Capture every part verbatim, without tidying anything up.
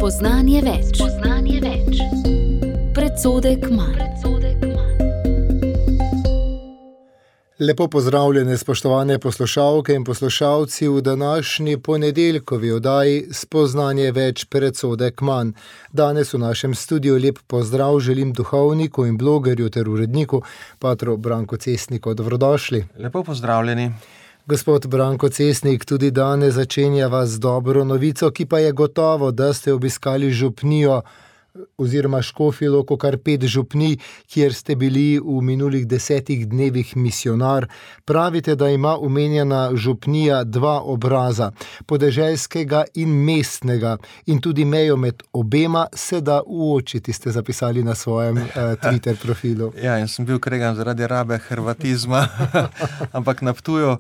Spoznanje več. Spoznanje več. Predsodek manj. Lepo pozdravljene, spoštovane poslušalke in poslušalci v današnji ponedeljkovi oddaji Spoznanje več, predsodek manj. Danes v našem studiu lep pozdrav želim duhovniku in blogerju ter uredniku patru Branku Cestniku. Dobrodošli. Lepo pozdravljeni. Gospod Branko Cestnik, tudi danes začenjava z dobro novico, ki pa je gotovo, da ste obiskali župnijo oziroma Škofjo Loko, kar pet župnij, kjer ste bili v minulih desetih dnevih misijonar. Pravite, da ima omenjena župnija dva obraza, podeželskega in mestnega, in tudi mejo med obema se da uočiti, ste zapisali na svojem eh, Twitter profilu. Ja, in sem bil kregan zaradi rabe hrvatizma, ampak na Ptuju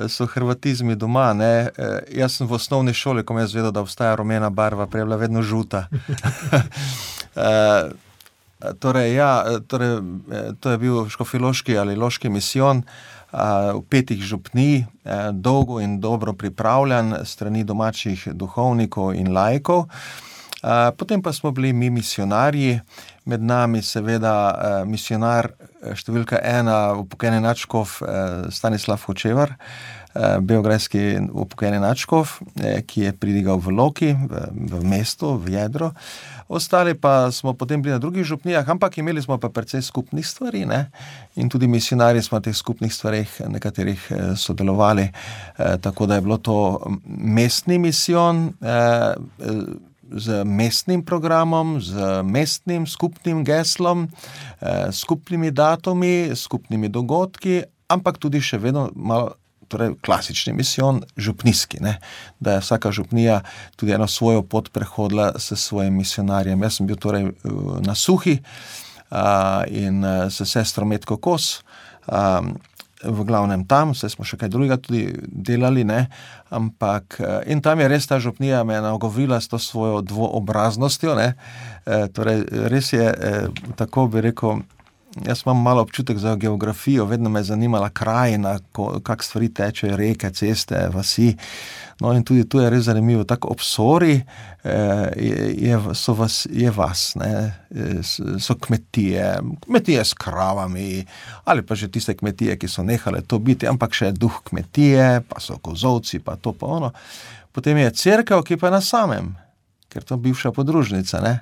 so hrvatizmi doma, ne. Jaz sem v osnovni šoli, ko me je zvedel, da obstaja rumena barva, prej je bila vedno žuta. Uh, torej, ja, torej, to je bil škofjeloški ali loški misijon uh, v petih župnij, uh, dolgo in dobro pripravljan strani domačih duhovnikov in laikov. Uh, potem pa smo bili mi misijonarji, med nami seveda uh, misijonar številka ena, upokojeni nadškof uh, Stanislav Hočevar, uh, beograjski upokojeni nadškof, uh, ki je pridigal v Loki, v, v mestu, v jedro. Ostali pa smo potem bili na drugih župnijah, ampak imeli smo pa precej skupnih stvari, ne? In tudi misijonarji smo na teh skupnih stvareh nekaterih eh, sodelovali, eh, tako da je bilo to mestni misijon eh, z mestnim programom, z mestnim skupnim geslom, eh, skupnimi datumi, skupnimi dogodki, ampak tudi še vedno malo torej klasični misijon, župnijski, ne, da je vsaka župnija tudi eno svojo pot prehodila s svojim misijonarjem. Jaz sem bil torej na Suhi a, in s sestro Metko Kos, a, v glavnem tam, vse smo še kaj drugega tudi delali, ne, ampak in tam je res ta župnija me nagovorila s to svojo dvoobraznostjo, ne, e, torej res je, e, tako bi rekel, jaz imam malo občutek za geografijo, vedno me je zanimala krajina, kak stvari tečejo, reke, ceste, vasi. No in tudi tu je res zanimivo, tako ob Sori je, je, so vas, je vas, ne, so kmetije, kmetije s kravami, ali pa že tiste kmetije, ki so nehale to biti, ampak še duh kmetije, pa so kozovci, pa to pa ono. Potem je cerkev, ki pa je na samem, ker to je bivša podružnica, ne,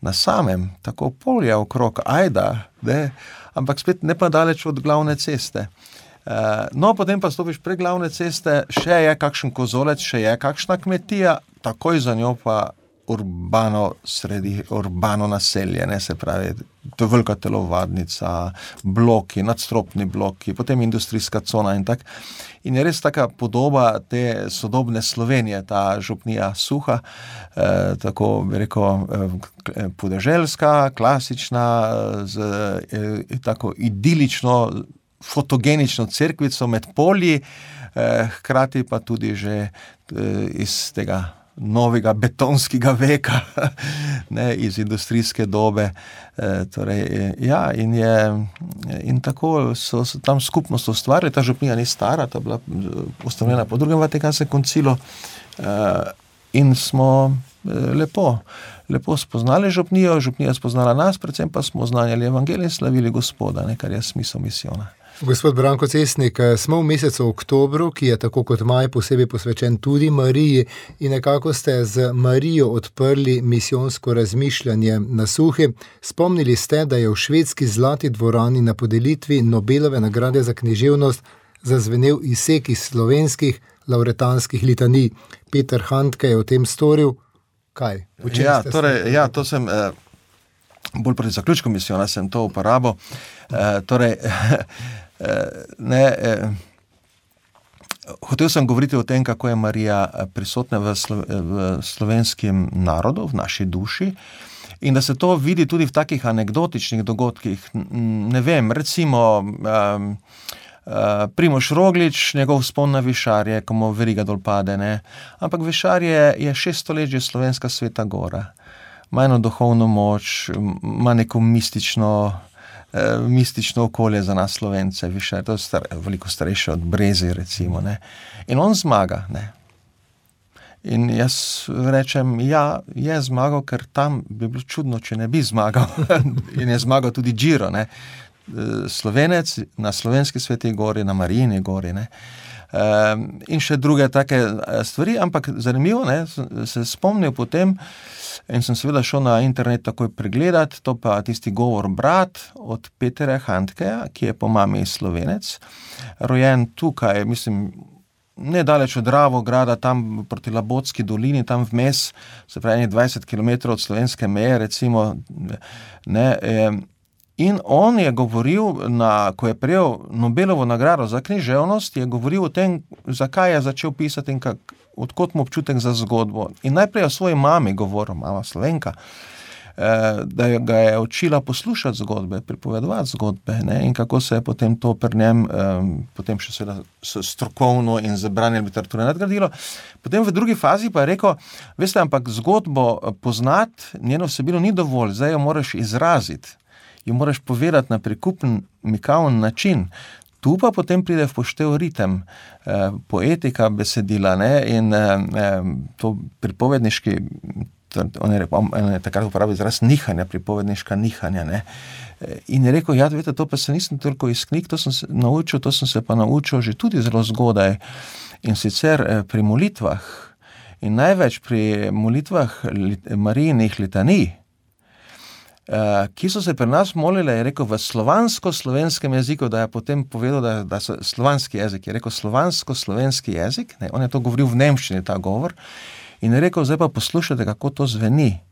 na samem, tako polja okrog, ajda, ne, ampak spet ne pa daleč od glavne ceste. Uh, no, potem pa stopiš pre glavne ceste, še je kakšen kozolec, še je kakšna kmetija, takoj za njo pa urbano sredi, urbano naselje, ne, se pravi, to je velika telovadnica, bloki, nadstropni bloki, potem industrijska cona in tak. In je res taka podoba te sodobne Slovenije, ta župnija Suha, eh, tako bi rekel, eh, podeželska, klasična, z eh, tako idilično, fotogenično cerkvico med polji, eh, hkrati pa tudi že eh, iz tega novega betonskega veka, ne, iz industrijske dobe. E, torej, ja, in je, in tako so, so tam skupnost ustvarili, ta župnija ni stara, ta bila ustanovljena po drugem Vatikanskem koncilu, e, in smo e, lepo, lepo spoznali župnijo, župnija spoznala nas, predvsem pa smo znanjali evangelij in slavili Gospoda, ne, kar je smisel misijona. Gospod Branko Cestnik, smo v mesecu oktobru, ki je tako kot maj posebej posvečen tudi Mariji, in nekako ste z Marijo odprli misijonsko razmišljanje na Suhi. Spomnili ste, da je v švedski Zlati dvorani na podelitvi Nobelove nagrade za književnost zazvenel izsek iz slovenskih lavretanskih litanij. Peter Handke je o tem storil. Kaj? Ja, torej, ja, to sem... Eh... bolj proti zaključku misijona sem to uporabil. E, torej, ne, e, hotel sem govoriti o tem, kako je Marija prisotna v, slo, v slovenskem narodu, v naši duši, in da se to vidi tudi v takih anekdotičnih dogodkih. Ne vem, recimo um, uh, Primož Roglič, njegov vzpon na Višarje, ko mu veriga dol pade, ne. Ampak Višarje je šeststo let že slovenska sveta gora. Ima eno duhovno moč, ima neko mistično, eh, mistično okolje za nas Slovence, Višarje, to je star, veliko starejše od Breze, recimo, ne. In on zmaga, ne. In jaz rečem, ja, je zmagal, ker tam bi bilo čudno, če ne bi zmagal. In je zmagal tudi Giro, ne. Slovenec na Slovenski Sveti gori, na Marijini gori, ne. In še druge take stvari, ampak zanimivo, ne, se spomnil potem in sem seveda šel na internet takoj pregledat, to pa tisti govor brat od Petra Handkeja, ki je po mami Slovenec, rojen tukaj, mislim, nedaleč od Dravograda, tam proti Labotski dolini, tam vmes, se pravi dvajset kilometrov od slovenske meje, recimo, ne, in on je govoril, na, ko je prejel Nobelovo nagrado za književnost, je govoril o tem, zakaj je začel pisati in kak, odkot mu občutek za zgodbo. In najprej o svoji mami govoril, mama Slovenka, da ga je učila poslušati zgodbe, pripovedovati zgodbe, ne, in kako se je potem to pri njem, potem še seveda strokovno in z branjem literature nadgradilo. Potem v drugi fazi pa je rekel, veste, ampak zgodbo poznati, njeno vsebino ni dovolj, zdaj jo moraš izraziti, jo moraš povedati na prikupen, mikaven način. Tu pa potem pride v poštev ritem, poetika besedila, ne, in to pripovedniški, on je, rekel, on je takrat uporabil izraz nihanja, pripovedniška nihanja, ne. In je rekel, ja, veste, to pa se nisem toliko iz knjig, to sem se naučil, to sem se pa naučil že tudi zelo zgodaj. In sicer pri molitvah, in največ pri molitvah Marijinih litanij, ki so se pri nas molile, je rekel, v slovansko-slovenskem jeziku, da je potem povedal, da, da so slovanski jezik, je rekel slovansko-slovenski jezik, ne, on je to govoril v nemščini, ta govor, in je rekel, zdaj pa poslušajte, kako to zveni.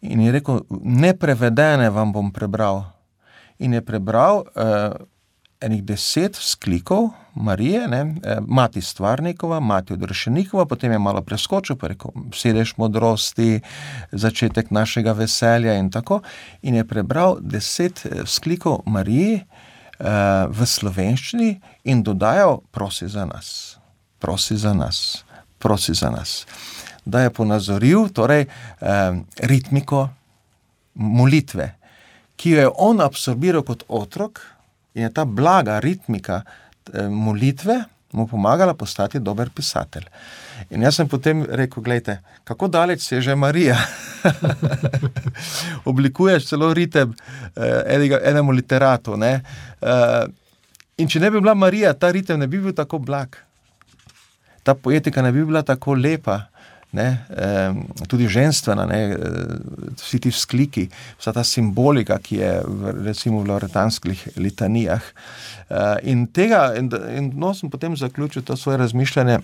In je rekel, neprevedene vam bom prebral. In je prebral uh, enih deset vzklikov Marije, ne, mati Stvarnikova, mati Odrešenikova, potem je malo preskočil, pa rekel, sedež modrosti, začetek našega veselja in tako. In je prebral deset vzklikov Mariji uh, v slovenščini in dodajal, prosi za nas, prosi za nas, prosi za nas. Da je ponazoril, torej, eh, ritmiko molitve, ki jo je on absorbiral kot otrok in je ta blaga ritmika eh, molitve mu pomagala postati dober pisatelj. In jaz sem potem rekel, glejte, kako daleč se je že Marija? Oblikuješ celo ritem eh, enega, enemu literatu, ne? Eh, in če ne bi bila Marija, ta ritem ne bi bil tako blag. Ta poetika ne bi bila tako lepa, ne, e, tudi ženstvena, ne, vsi ti vzkliki, vsa ta simbolika, ki je v, recimo v loretanskih litanijah. E, in tega, in, in no, sem potem zaključil to svoje razmišljanje,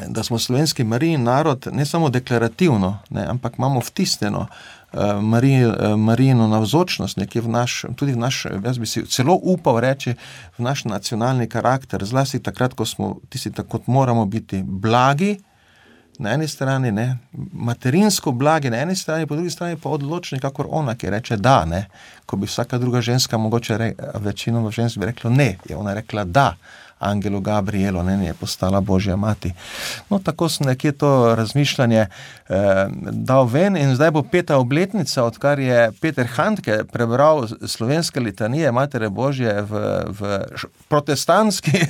da smo slovenski Marijin narod ne samo deklarativno, ne, ampak imamo vtisnjeno uh, Marij, uh, Marijino navzočnost, nekje v naš, tudi v naš, jaz bi si celo upal reči, v naš nacionalni karakter, zlasti takrat, ko smo tisti, tako moramo biti blagi, na eni strani, ne, materinsko blagi, na eni strani, po drugi strani pa odločni, kakor ona, ki reče da, ne, ko bi vsaka druga ženska, mogoče re, večino žensk bi rekla ne, je ona rekla da, Angelu Gabrielu, ne, je postala Božja mati. No, tako sem nekje to razmišljanje eh, dal ven in zdaj bo peta obletnica, odkar je Peter Handke prebral slovenske litanije Matere Božje v, v protestantski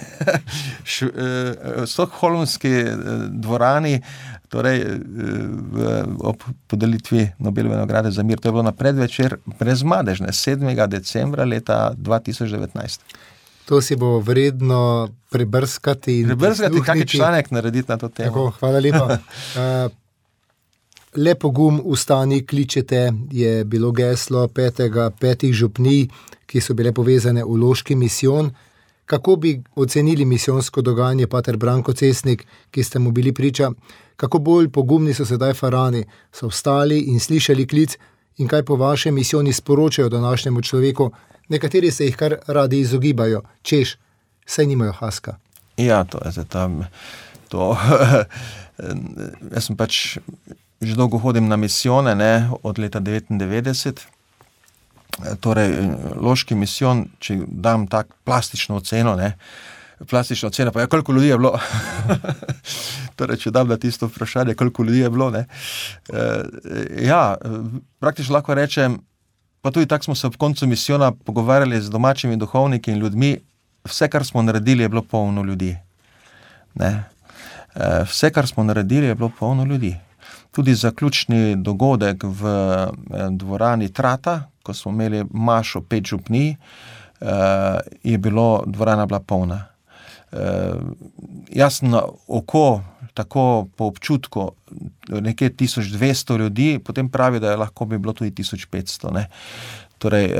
š, eh, stokholmski dvorani, torej v, ob podelitvi Nobelove nagrade za mir. To je bilo na predvečer brezmadežne, sedmega decembra leta dva tisoč devetnajst. To si bo vredno prebrskati in prebrskati, kak je članek narediti na to temo. Tako, hvala lepa. Uh, le pogum, ustani, kličete, je bilo geslo petega, petih župnij, ki so bile povezane v loški misijon. Kako bi ocenili misijonsko dogajanje, pater Branko Cesnik, ki ste mu bili priča? Kako bolj pogumni so sedaj farani? So vstali in slišali klic in kaj po vašem misijoni sporočajo današnjemu človeku? Nekateri se jih kar radi izogibajo, češ, saj nimajo haska. Ja, to je tam, to, jaz sem pač, že dolgo hodim na misijone, ne, od leta devetindevetdeset, torej, loški misijon, če dam tak plastično oceno, ne, plastična ocena, pa ja, koliko ljudi je bilo, torej, če dam na tisto vprašanje, koliko ljudi je bilo, ne, ja, praktično lahko rečem, pa tudi tako smo se ob koncu misijona pogovarjali z domačimi duhovniki in ljudmi, vse, kar smo naredili, je bilo polno ljudi. Ne? Vse, kar smo naredili, je bilo polno ljudi. Tudi zaključni dogodek v dvorani Trata, ko smo imeli mašo pet župnij, je bilo, dvorana bila polna. Jaz na oko, tako po občutku, nekje tisoč dvesto ljudi, potem pravi, da je lahko bi bilo tudi tisoč petsto, ne. Torej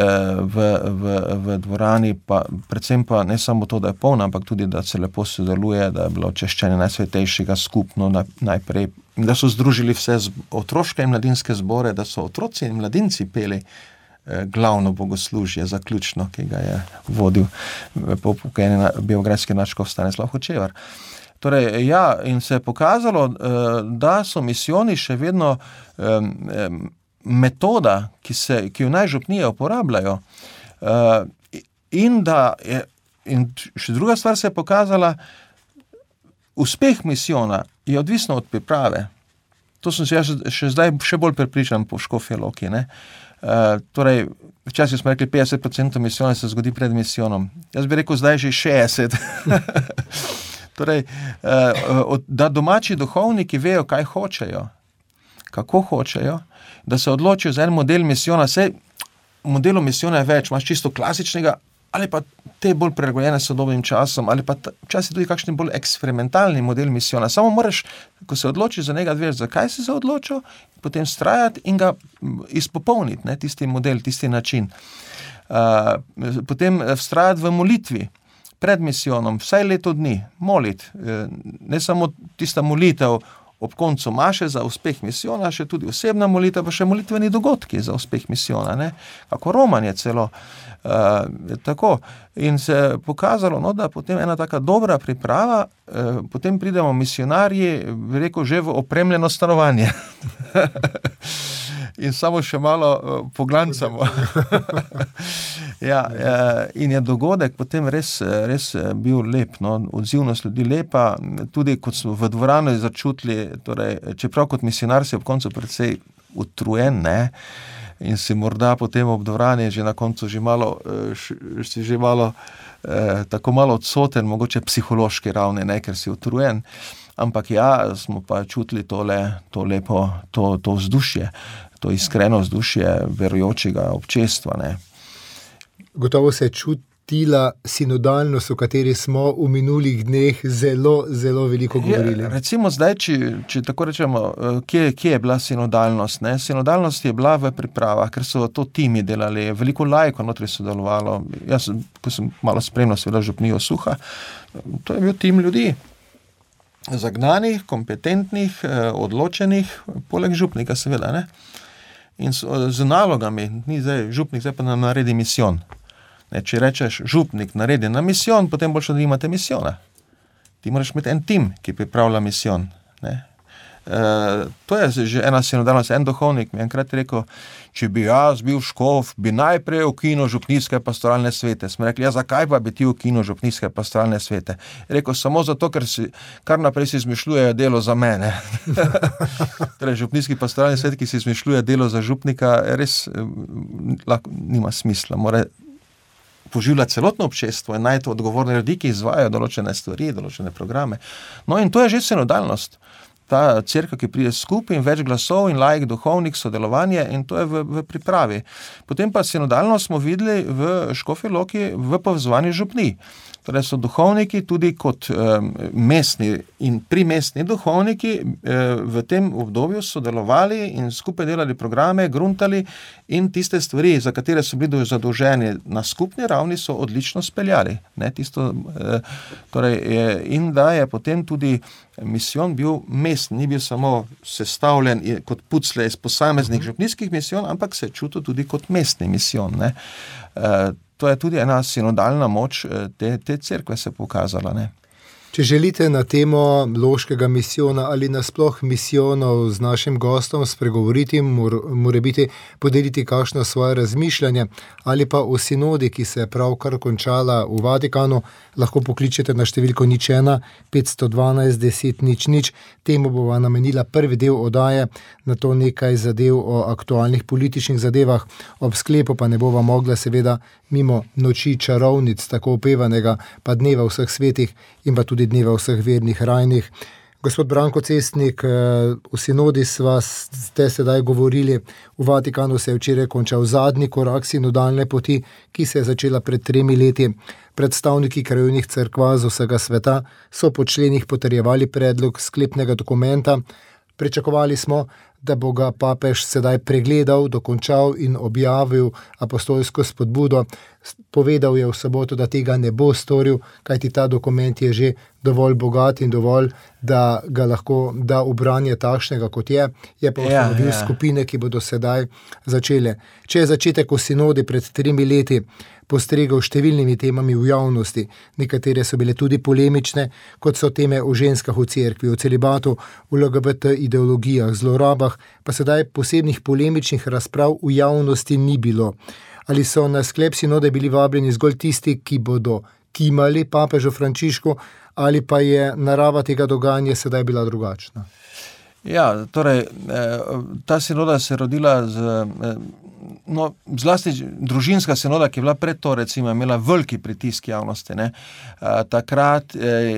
v, v, v dvorani, pa, predvsem pa ne samo to, da je polna, ampak tudi, da se lepo sodeluje, da je bilo češčenje Najsvetejšega skupno najprej, da so združili vse otroške in mladinske zbore, da so otroci in mladinci peli glavno bogoslužje, zaključno, ki ga je vodil po pokojni beograjski nadškof Stanislav Hočevar. Torej, ja, in se je pokazalo, da so misijoni še vedno metoda, ki, se, ki jo naj župnije uporabljajo. In da je, in še druga stvar se je pokazala, uspeh misijona je odvisno od priprave. To sem se jaz še zdaj še bolj prepričan po Škofji Loki, ne. Uh, torej, včasih smo rekli petdeset procentov misijona se zgodi pred misijonom. Jaz bi rekel zdaj že šestdeset. Torej, uh, da domači duhovniki vejo, kaj hočejo, kako hočejo, da se odločijo za en model misijona. Sej modelov misijona je več, imaš čisto klasičnega, ali pa te bolj prilagojene sodobnim časom, ali pa včasih tudi kakšen bolj eksperimentalni model misijona. Samo moraš, ko se odločiš za njega, veš, zakaj si se odločil, potem strajati in ga izpopolniti, ne, tisti model, tisti način. Uh, potem vztrajati v molitvi pred misijonom, vsaj leto dni, moliti. Ne samo tista molitev ob koncu maše za uspeh misijona, še tudi osebna molitev, pa še molitveni dogodki za uspeh misijona, ne, kako romanje celo. Uh, tako. In se je pokazalo, no, da potem ena taka dobra priprava, uh, potem pridemo misionarji, bi rekel, že v opremljeno stanovanje. In samo še malo uh, poglancamo. Ja, uh, in je dogodek potem res, res bil lep, no, odzivnost ljudi lepa, tudi kot smo v dvorano začutili, torej, čeprav kot misionar si ob koncu precej utrujen, ne, in si morda potem ob dvorani že na koncu že malo, si že malo, eh, tako malo odsoten, mogoče psihološki ravni, ne, ker si utrujen, ampak ja, smo pa čutili tole, to lepo, to, to vzdušje, to iskreno vzdušje verujočega občestva, ne. Gotovo se čutila sinodalnost, o kateri smo v minulih dneh zelo, zelo veliko govorili. Je, recimo zdaj, če, če tako rečemo, kje, kje je bila sinodalnost? Ne? Sinodalnost je bila v pripravah, ker so to timi delali, veliko laikov notri sodelovalo. Jaz, ko sem malo spremljal seveda župnijo Suha, to je bil tim ljudi, zagnanih, kompetentnih, odločenih, poleg župnika seveda, ne? In so, z nalogami, ni zdaj župnik, zdaj pa nam naredi misijon. Ne, če rečeš, župnik naredi na misijon, potem boš, da imate misijona. Ti moraš imeti en tim, ki pripravlja misijon. Ne. E, to je že ena sinodalnost. En duhovnik mi je enkrat rekel, če bi jaz bil škof, bi najprej ukinil župnijske pastoralne svete. Smo rekli, ja, zakaj pa bi ti ukinil župnijske pastoralne svete? Je rekel, samo zato, ker si, kar naprej si izmišljujejo delo za mene. Torej, župnijski pastoralni svet, ki si izmišljuje delo za župnika, res lahko, nima smisla. Mora poživljati celotno občestvo in najti odgovorne ljudi, ki izvajajo določene stvari, določene programe. No in to je že sinodalnost. Ta cerkev, ki pride skupaj in več glasov in laik, duhovnik, sodelovanje in to je v, v pripravi. Potem pa sinodalnost smo videli v Škofji Loki v povezovanju župnij. Torej so duhovniki tudi kot um, mestni in primestni duhovniki um, v tem obdobju sodelovali in skupaj delali programe, gruntali in tiste stvari, za katere so bili zadolženi na skupni ravni, so odlično speljali. Ne, tisto, uh, torej je, in da je potem tudi misijon bil mestni, ni bil samo sestavljen kot pucle iz posameznih župnijskih misijon, ampak se je čutil tudi kot mestni misijon. Ne. Uh, To je tudi ena sinodalna moč te, te cerkve se pokazala, ne. Če želite na temo loškega misijona ali nasploh misijonov z našim gostom spregovoriti, mora biti podeliti kakšno svoje razmišljanje ali pa o sinodi, ki se je pravkar končala v Vatikanu, lahko pokličete na številko nič ena petsto dvanajst deset nič nič. Temu bova namenila prvi del oddaje, na to nekaj zadev o aktualnih političnih zadevah, ob sklepu pa ne bova mogla seveda mimo noči čarovnic, tako opevanega, pa dneva vseh svetih in pa tudi dneva vseh vernih rajnih. Gospod Branko Cestnik, v sinodi sva ste sedaj govorili, v Vatikanu se je včeraj končal zadnji korak sinodalne poti, ki se je začela pred tremi leti. Predstavniki krajevnih cerkva z vsega sveta so po členih potrjevali predlog sklepnega dokumenta. Pričakovali smo, da bo ga papež sedaj pregledal, dokončal in objavil apostolsko spodbudo. Povedal je v soboto, da tega ne bo storil, kajti ta dokument je že dovolj bogat in dovolj, da ga lahko da v branje takšnega, kot je. Je pa ustanovil ja, ja. skupine, ki bodo sedaj začele. Če je začetek v sinodi pred tremi leti postregel številnimi temami v javnosti, nekatere so bile tudi polemične, kot so teme o ženskah v cerkvi, o celibatu, v L G B T ideologijah, zlorabah, pa sedaj posebnih polemičnih razprav v javnosti ni bilo. Ali so na sklep sinode bili vabljeni zgolj tisti, ki bodo kimali papežu Frančišku, ali pa je narava tega dogajanja sedaj bila drugačna? Ja, torej, ta sinoda se je rodila z, no, zlasti družinska sinoda, ki je bila pred to, recimo, imela veliki pritisk javnosti, ne. Takrat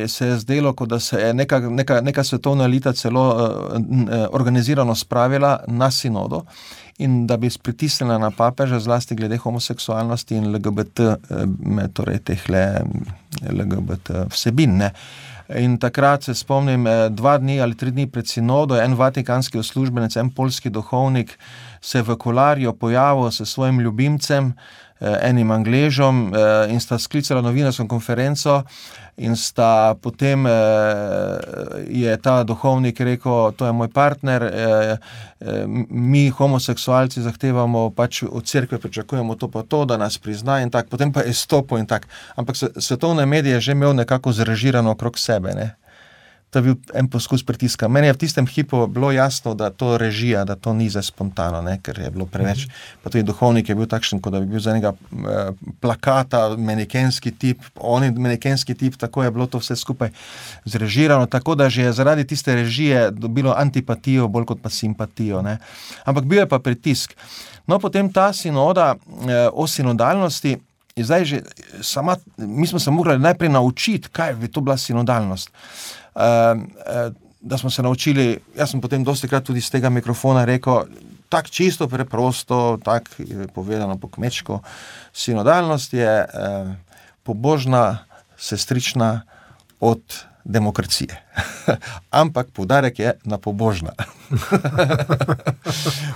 se je zdelo, kot da se je neka, neka, neka svetovna elita celo organizirano spravila na sinodo in da bi pritisnila na papeža zlasti glede homoseksualnosti in L G B T, torej tehle L G B T vsebin, ne. In takrat se spomnim, dva dni ali tri dni pred sinodo, en vatikanski uslužbenec, en poljski duhovnik se v Kolarju pojavil s svojim ljubimcem, enim Angležom, in sta sklicala novinarsko konferenco in sta potem, je ta duhovnik rekel, to je moj partner, mi homoseksualci zahtevamo, pač od cerkve pričakujemo to pa to, da nas prizna in tak, potem pa je stopil in tak. Ampak svetovne medije že imel nekako zrežirano okrog sebe, ne. To je bil en poskus pritiska. Meni je v tistem hipu bilo jasno, da to režija, da to ni za spontano, ne, ker je bilo preveč. Pa tudi duhovnik je bil takšen, kot da bi bil za enega eh, plakata, manekenski tip, on je manekenski tip, tako je bilo to vse skupaj zrežirano, tako da že je zaradi tiste režije dobilo antipatijo, bolj kot pa simpatijo, ne. Ampak bil je pa pritisk. No, potem ta sinoda eh, o sinodalnosti, je zdaj že sama, mi smo se morali najprej naučiti, kaj bi to bila sinodalnost. Uh, uh, da smo se naučili, jaz sem potem dosti krat tudi z tega mikrofona rekel, tak čisto preprosto, tak povedano po kmečko, sinodalnost je uh, pobožna sestrična od demokracije. Ampak poudarek je na pobožna.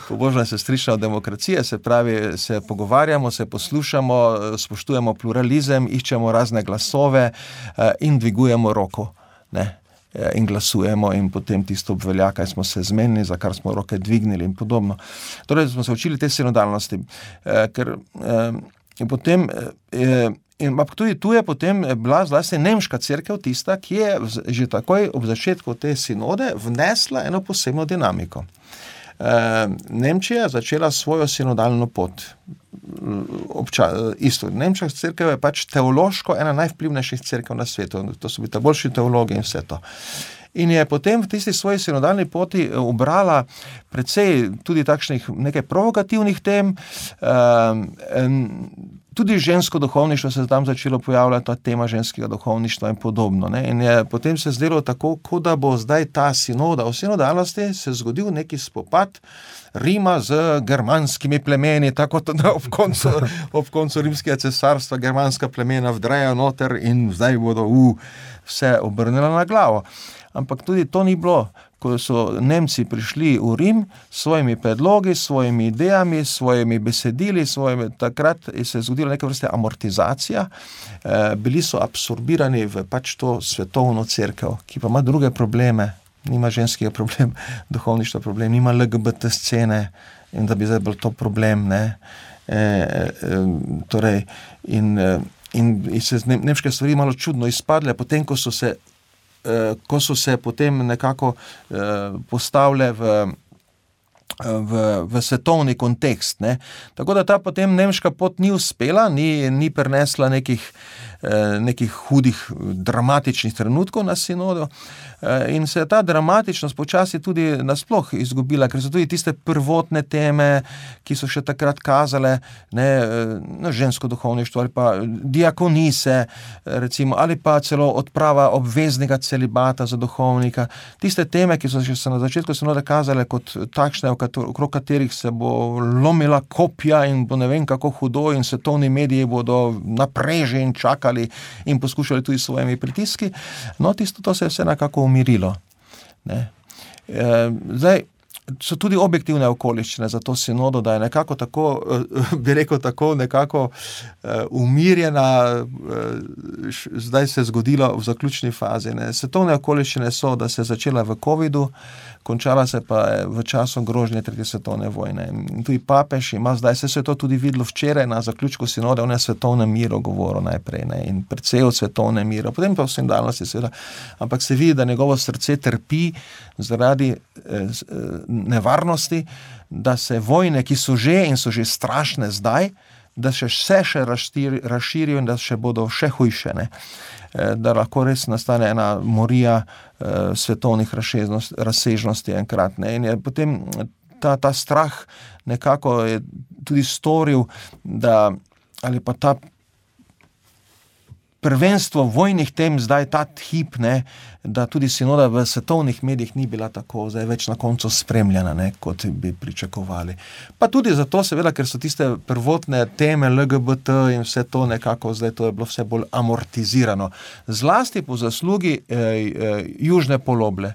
Pobožna sestrična od demokracije, se pravi, se pogovarjamo, se poslušamo, spoštujemo pluralizem, iščemo razne glasove uh, in dvigujemo roko, ne. In glasujemo in potem tisto obvelja, kaj smo se zmenili, za kar smo roke dvignili in podobno. Torej smo se učili te sinodalnosti, eh, ker eh, in potem eh, in tudi tu je potem bila zlasti nemška cerkev tista, ki je že takoj ob začetku te sinode vnesla eno posebno dinamiko. Eh, Nemčija je začela svojo sinodalno pot. Obča, isto, nemška cerkev je pač teološko ena najvplivnejših cerkev na svetu, to so bili ta boljši teologi in vse to. In je potem v tisti svoji sinodalni poti ubrala precej tudi takšnih nekaj provokativnih tem, um, tudi žensko duhovništvo se je tam začelo pojavljati, ta tema ženskega duhovništva in podobno, ne. In je potem se zdelo tako, kot da bo zdaj ta sinoda, v sinodalnosti se zgodil neki spopad Rima z germanskimi plemeni, tako da ob koncu, ob koncu rimskega cesarstva germanska plemena vdrejo noter in zdaj bodo uh, vse obrnila na glavo. Ampak tudi to ni bilo, ko so Nemci prišli v Rim s svojimi predlogi, s svojimi idejami, s svojimi besedili, svojimi, takrat se je zgodila neka vrsta amortizacija, e, bili so absorbirani v pač to svetovno cerkev, ki pa ima druge probleme, nima ženskega problem, duhovništva problem, nima L G B T scene in da bi zdaj bil to problem, ne. E, e, torej, in, in, in se nemške stvari malo čudno izpadle, potem, ko so se ko so se potem nekako postavile v, v, v svetovni kontekst. Ne. Tako da ta potem nemška pot ni uspela, ni, ni prinesla nekih, eh, nekih hudih, dramatičnih trenutkov na sinodu eh, in se je ta dramatičnost počasi tudi nasploh izgubila, ker so tudi tiste prvotne teme, ki so še takrat kazale, ne, no, žensko duhovništvo ali pa diakonise, recimo, ali pa celo odprava obveznega celibata za duhovnika. Tiste teme, ki so še se na začetku sinoda kazale kot takšne, okrog katerih se bo lomila kopja in bo ne vem kako hudo in svetovni mediji bodo napreži in čakali in poskušali tudi s svojimi pritiski. No, tisto to se je vse nekako umirilo. Ne. E, zdaj, so tudi objektivne okoliščine za to sinodo, da je nekako tako, bi rekel tako, nekako umirjena, zdaj se je zgodilo v zaključni fazi. Ne. Svetovne okoliščine so, da se je začela v covidu, končala se pa je v času grožnje tretje svetovne vojne. In tudi papež ima zdaj, se je to tudi videlo včeraj na zaključku sinode, on je svetovnem miru govoril najprej, ne, in precej o svetovnem miru, potem pa v sinodalnosti seveda, ampak se vidi, da njegovo srce trpi zaradi eh, nevarnosti, da se vojne, ki so že in so že strašne zdaj, da še vse še razširijo in da še bodo še hujše, ne. Da lahko res nastane ena morija eh, svetovnih razsežnosti enkrat. Ne. In je potem ta, ta strah nekako je tudi storil, da ali pa ta prvenstvo vojnih tem zdaj ta hip, ne, da tudi sinoda v svetovnih medijih ni bila tako zdaj več na koncu spremljena, ne, kot bi pričakovali. Pa tudi zato seveda, ker so tiste prvotne teme L G B T in vse to nekako zdaj to je bilo vse bolj amortizirano. Zlasti po zaslugi eh, eh, južne poloble.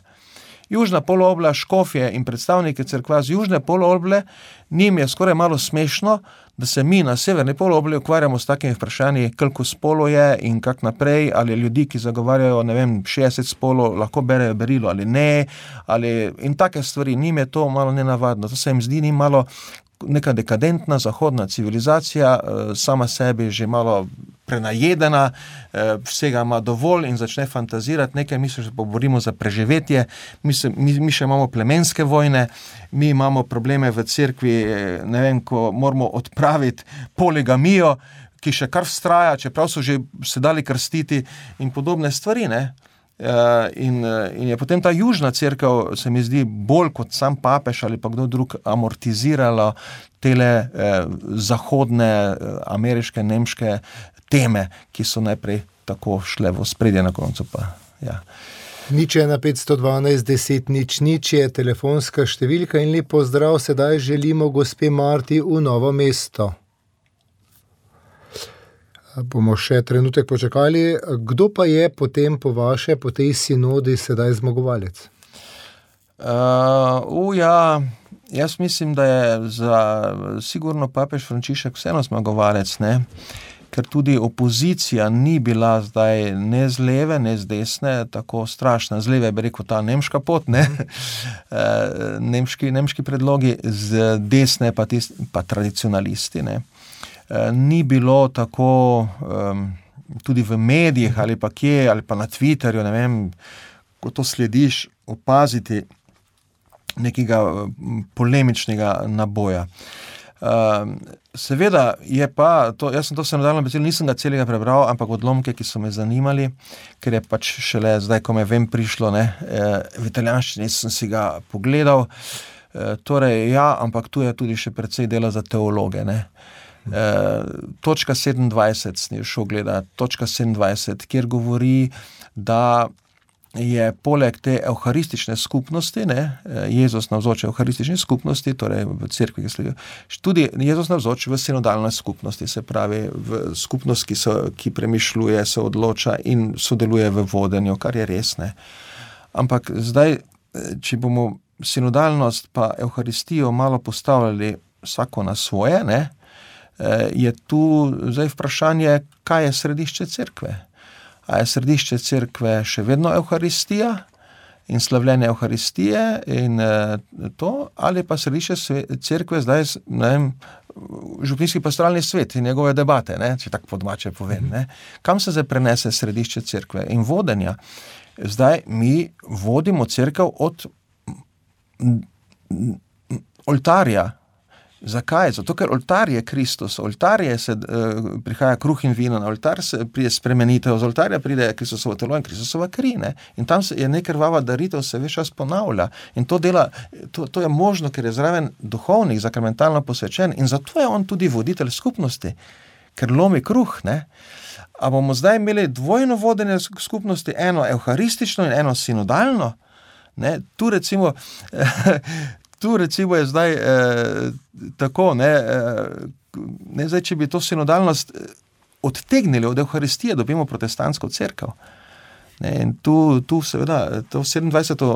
Južna polobla, škofje in predstavniki cerkva z južne poloble, njim je skoraj malo smešno, da se mi na severni polobli ukvarjamo s takimi vprašanji, koliko spolov je in kak naprej, ali ljudi, ki zagovarjajo, ne vem, šestdeset spolov, lahko berejo berilo ali ne, ali, in take stvari, njim je to malo nenavadno. To se jim zdi ni malo neka dekadentna zahodna civilizacija, sama sebi že malo prenajedena, vsega ima dovolj in začne fantazirati nekaj, mi se že borimo za preživetje, mi, se, mi, mi še imamo plemenske vojne, mi imamo probleme v cerkvi, ne vem, ko moramo odpraviti poligamijo, ki še kar vztraja, čeprav so že se dali krstiti in podobne stvari, ne. Uh, in, in je potem ta južna cerkev, se mi zdi, bolj kot sam papež ali pa kdo drug amortizirala tele eh, zahodne, eh, ameriške, nemške teme, ki so najprej tako šle v ospredje, na koncu pa, ja. Nič ena petsto dvanajst deset nič nič je telefonska številka in lep pozdrav, sedaj želimo gospe Marti v Novo mesto. Bomo še trenutek počakali. Kdo pa je potem po vaše, po tej sinodi sedaj zmagovalec? Uh, uh, ja, jaz mislim, da je za sigurno papež Frančišek vseeno zmagovalec, ne? Ker tudi opozicija ni bila zdaj ne z leve, ne z desne, tako strašna. Z leve bi rekel ta nemška pot, ne? uh, nemški, nemški predlogi, z desne pa, tis, pa tradicionalisti, ne? Ni bilo tako um, tudi v medijih ali pa kje, ali pa na Twitterju, ne vem, ko to slediš, opaziti nekega polemičnega naboja. Um, seveda je pa, to, jaz sem to sinodalno besedilo, nisem ga celega prebral, ampak odlomke, ki so me zanimali, ker je pač šele zdaj, ko me vem prišlo, ne, v italijanščini sem si ga pogledal, e, torej ja, ampak tu je tudi še precej dela za teologe, ne. Uh, točka sedemindvajset sem šel gledati, točka sedemindvajset, kjer govori, da je poleg te evharistične skupnosti, ne, Jezus navzoč evharistični skupnosti, torej v cerkvi, ki sledijo, tudi Jezus navzoč v sinodalni skupnosti, se pravi v skupnost, ki, so, ki premišljuje, se odloča in sodeluje v vodenju, kar je res, ne. Ampak zdaj, če bomo sinodalnost pa evharistijo malo postavljali vsako na svoje, ne, je tu zdaj vprašanje, kaj je središče cerkve. A je središče cerkve še vedno evharistija in slavljenje evharistije in to, ali pa središče cerkve zdaj, ne vem, župnijski pastoralni svet in njegove debate, ne, če tako po domače povem, ne. Kam se zdaj prenese središče cerkve in vodenja? Zdaj mi vodimo cerkev od oltarja. Zakaj? Zato, ker oltar je Kristus, oltar je se uh, prihaja kruh in vino, na oltar se pride spremenitev, z oltarja pride Kristusovo telo in Kristusova kri, ne? In tam se je nekrvava daritev, se ves čas ponavlja. In to dela, to, to je možno, ker je zraven duhovnik, zakramentalno posvečen in zato je on tudi voditelj skupnosti, ker lomi kruh, ne? A bomo zdaj imeli dvojno vodenje skupnosti, eno evharistično in eno sinodalno, ne? Tu recimo Tu recimo je zdaj eh, tako, ne, eh, ne zdaj, če bi to sinodalnost odtegnili od Evharistije, dobimo protestantsko cerkev. Ne, in tu, tu seveda, to sedemindvajseto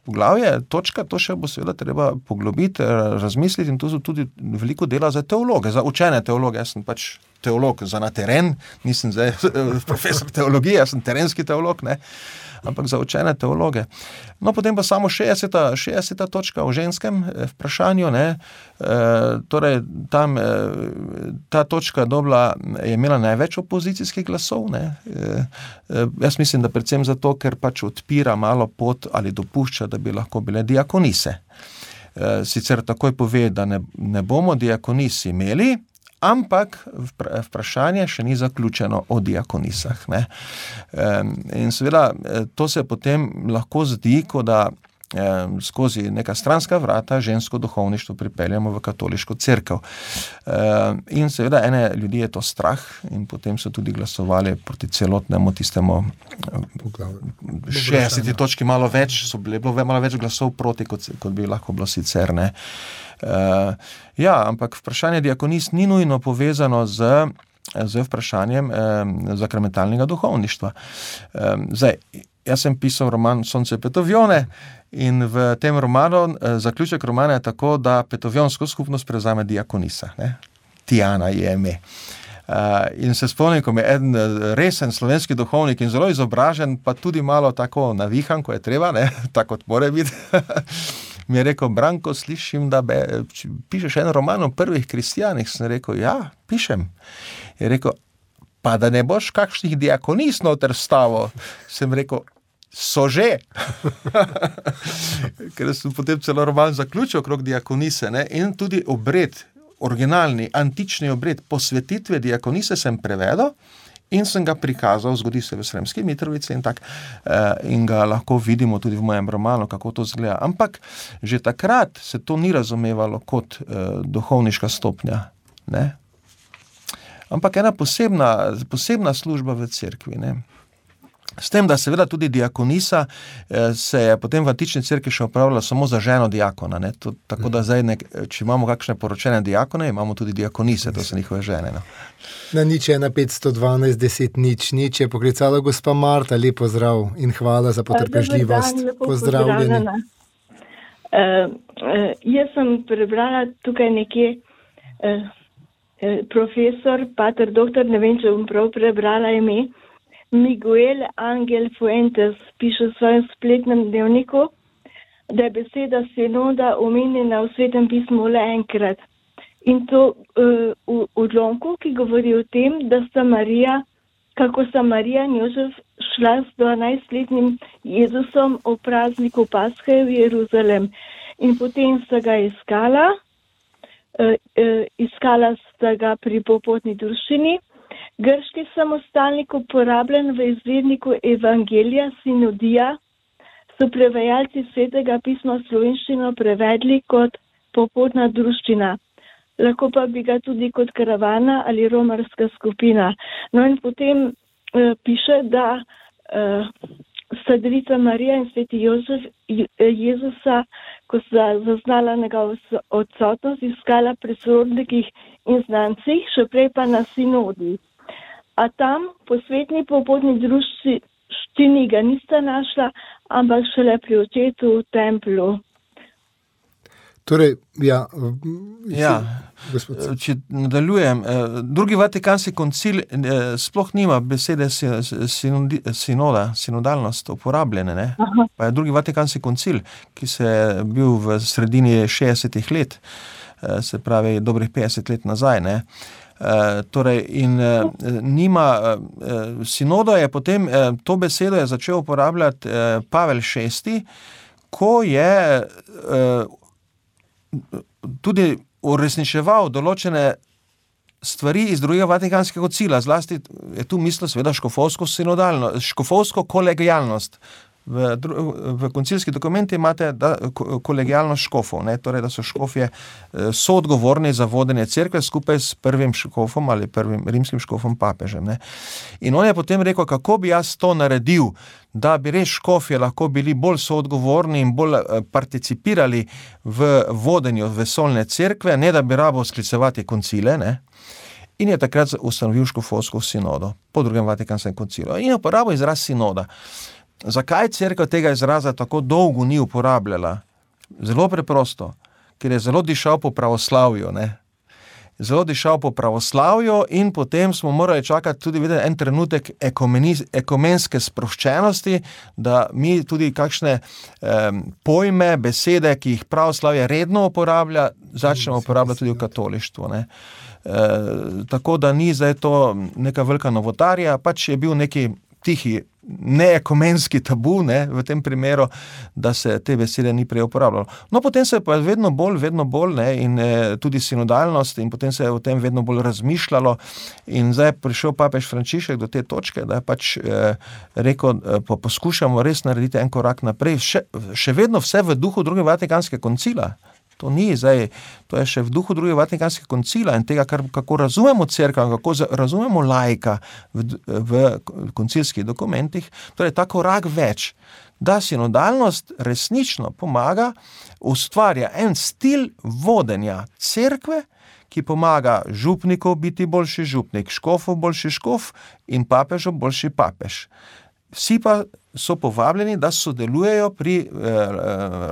poglavje, točka, to še bo seveda treba poglobiti, razmisliti in tu so tudi veliko dela za teologe, za učene teologe. Jaz sem pač teolog za na teren, nisem zdaj profesor teologije, jaz sem terenski teolog, ne, ampak za učene teologe. No, potem pa samo šestdeseta, šestdeseta točka o ženskem vprašanju, ne, e, torej tam e, ta točka dobila, je imela največ opozicijskih glasov, ne, e, e, jaz mislim, da predvsem zato, ker pač odpira malo pot ali dopušča, da bi lahko bile diakonise. E, sicer takoj pove, da ne, ne bomo diakonis imeli, ampak vprašanje še ni zaključeno o diakonisah, ne. In seveda to se potem lahko zdi, ko da skozi neka stranska vrata žensko duhovništvo pripeljamo v katoliško cerkev. In seveda ene ljudi je to strah in potem so tudi glasovali proti celotnemu tistemu šestdeseti točki, malo več, so bile, bilo malo več glasov proti, kot, kot bi lahko bilo sicer, ne. Uh, ja, ampak vprašanje diakonis ni nujno povezano z, z vprašanjem eh, zakramentalnega duhovništva. Eh, zdaj, jaz sem pisal roman Sonce Petovjone in v tem romanu, eh, zaključek romana je tako, da petovjonsko skupnost prevzame diakonisa, ne? Tijana je ime. Uh, in se spomnim, ko mi je eden resen slovenski duhovnik in zelo izobražen, pa tudi malo tako navihan, ko je treba, ne, tako kot more biti, mi je rekel: Branko, slišim, da be, pišeš en roman o prvih kristijanih. Sem rekel: ja, pišem. Je rekel: pa da ne boš kakšnih diakonis noter vstavil? Sem rekel: so že. Ker sem potem celo roman zaključil okrog diakonise, ne, in tudi obred, originalni, antični obred posvetitve diakonise sem prevedel in sem ga prikazal, zgodi se v Sremski Mitrovici in tak, in ga lahko vidimo tudi v mojem romanu, kako to izgleda. Ampak že takrat se to ni razumevalo kot eh, duhovniška stopnja, ne? Ampak ena posebna, posebna služba v cerkvi, ne? S tem, da seveda tudi diakonisa eh, se je potem v antični cerkvi še opravljala samo za ženo diakona, ne? To, tako da zdaj, nek, če imamo kakšne poročene diakone, imamo tudi diakonise, to so njihove žene, no. Na nič ena petsto dvanajst deset nič nič je poklicala gospa Marta, lep pozdrav in hvala za potrpežljivost. Pozdravljeni. Uh, uh, jaz sem prebrala tukaj nekje uh, uh, profesor, pater doktor, ne vem, če bom prav prebrala ime, Miguel Angel Fuentes piše v svojem spletnem dnevniku, da je beseda sinoda omenjena v Svetem pismu le enkrat. In to uh, v odlomku, ki govori o tem, da sta Marija, kako sta Marija in Jožef šla s dvanajstletnim Jezusom o prazniku Pashe v Jeruzalem. In potem sta ga iskala, uh, uh, iskala sta ga pri popotni druščini. Grški samostalnik, uporabljen v izvedniku Evangelija Sinodija, so prevajalci Svetega pisma v slovenščino prevedli kot popotna druščina. Lahko pa bi ga tudi kot karavana ali romarska skupina. No in potem uh, piše, da uh, sta Devica Marija in Sveti Jožef Jezusa, ko sta zaznala njegovo odsotnost, iskala pri sorodnikih in znancih, še prej pa na sinodi. A tam po svetni popotni druščini ga nista našla, ampak šele pri očetu v templju. Torej, ja, ja, če nadaljujem, drugi Vatikanski koncil sploh nima besede sinoda, sinodalnost uporabljene, ne? Pa je drugi Vatikanski koncil, ki se je bil v sredini šestdesetih let, se pravi dobrih petdeset let nazaj, ne? Uh, torej in uh, nima uh, sinodo je potem uh, to besedo je začel uporabljati uh, Pavel šesti, ko je uh, tudi uresničeval določene stvari iz drugega Vatikanskega koncila, zlasti je tu mislil seveda škofovsko sinodalno, škofovsko kolegijalnost. V, v koncilski dokumenti imate da, kolegijalnost škofov, ne? Torej, da so škofje soodgovorni za vodenje cerkve skupaj s prvim škofom ali prvim rimskim škofom papežem. Ne? In on je potem rekel, kako bi jaz to naredil, da bi res škofje lahko bili bolj soodgovorni in bolj participirali v vodenju vesoljne cerkve, ne da bi rabo sklicevati koncile, ne? In je takrat ustanovil škofovsko sinodo po drugem Vatikanskem koncilu. In je uporabil izraz sinoda. Zakaj cerkev tega izraza tako dolgo ni uporabljala? Zelo preprosto, ker je zelo dišal po pravoslavju, ne? Zelo dišal po pravoslavju in potem smo morali čakati tudi videti en trenutek ekumenske sproščenosti, da mi tudi kakšne eh, pojme, besede, ki jih pravoslavje redno uporablja, začnemo uporabljati tudi v katolištvu, ne? E, tako da ni zdaj to neka velika novotarija, pač je bil neki tihi, neekumenski tabu, ne, v tem primeru, da se te besede ni prej uporabljalo. No, potem se je pa vedno bolj, vedno bolj, ne, in e, tudi sinodalnost, in potem se je o tem vedno bolj razmišljalo, in zdaj je prišel papež Frančišek do te točke, da je pač e, rekel, e, pa poskušamo res narediti en korak naprej, še, še vedno vse v duhu drugega Vatikanskega koncila. To ni zdaj, to je še v duhu drugega Vatikanskega koncila in tega, kar, kako razumemo cerkev, kako razumemo laika v, v koncilskih dokumentih, torej ta korak več, da sinodalnost resnično pomaga, ustvarja en stil vodenja cerkve, ki pomaga župnikov biti boljši župnik, škofov boljši škof in papežov boljši papež. Vsi pa so povabljeni, da sodelujejo pri eh,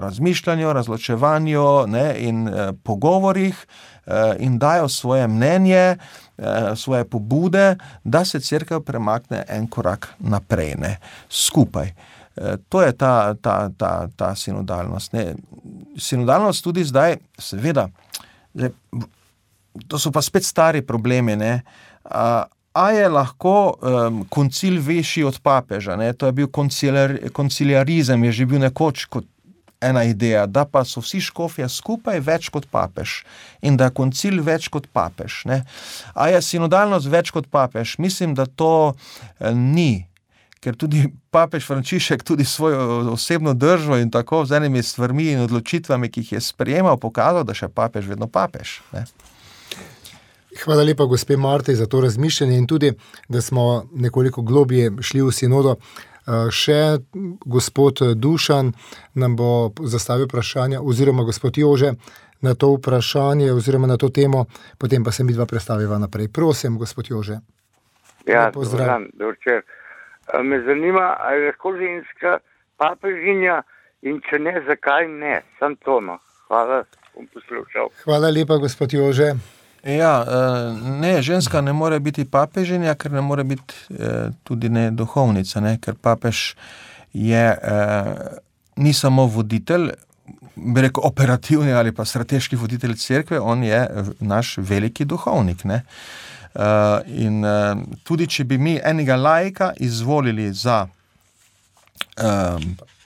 razmišljanju, razločevanju, ne, in eh, pogovorih eh, in dajo svoje mnenje, eh, svoje pobude, da se cerkev premakne en korak naprej, ne, skupaj. Eh, to je ta, ta, ta, ta sinodalnost. Ne. Sinodalnost tudi zdaj, seveda, zdaj, to so pa spet stari problemi, ne, a, A je lahko um, koncil višji od papeža, ne? To je bil koncilar, konciliarizem, je že bil nekoč kot ena ideja, da pa so vsi škofje skupaj več kot papež in da je koncil več kot papež. Ne? A je sinodalnost več kot papež? Mislim, da to eh, ni, ker tudi papež Frančišek tudi svojo osebno držo in tako z enimi stvarmi in odločitvami, ki jih je sprejemal, pokazal, da še papež vedno papež. Ne? Hvala lepa, gospe Marti, za to razmišljanje in tudi, da smo nekoliko globje šli v sinodo. Še gospod Dušan nam bo zastavil vprašanje, oziroma gospod Jože, na to vprašanje, oziroma na to temo, potem pa se mi dva predstaviva naprej. Prosim, gospod Jože. Ja, pozdrav, dober. Me zanima, ali je lahko ženska papežinja in če ne, zakaj ne? Sam to, no. Hvala, bom poslušal. Hvala lepa, gospod Jože. Ja, ne, ženska ne more biti papežinja, ker ne more biti tudi ne duhovnica, ne, ker papež je, ni samo voditelj, bi rekel operativni ali pa strateški voditelj cerkve, on je naš veliki duhovnik, ne. In tudi, če bi mi enega laika izvolili za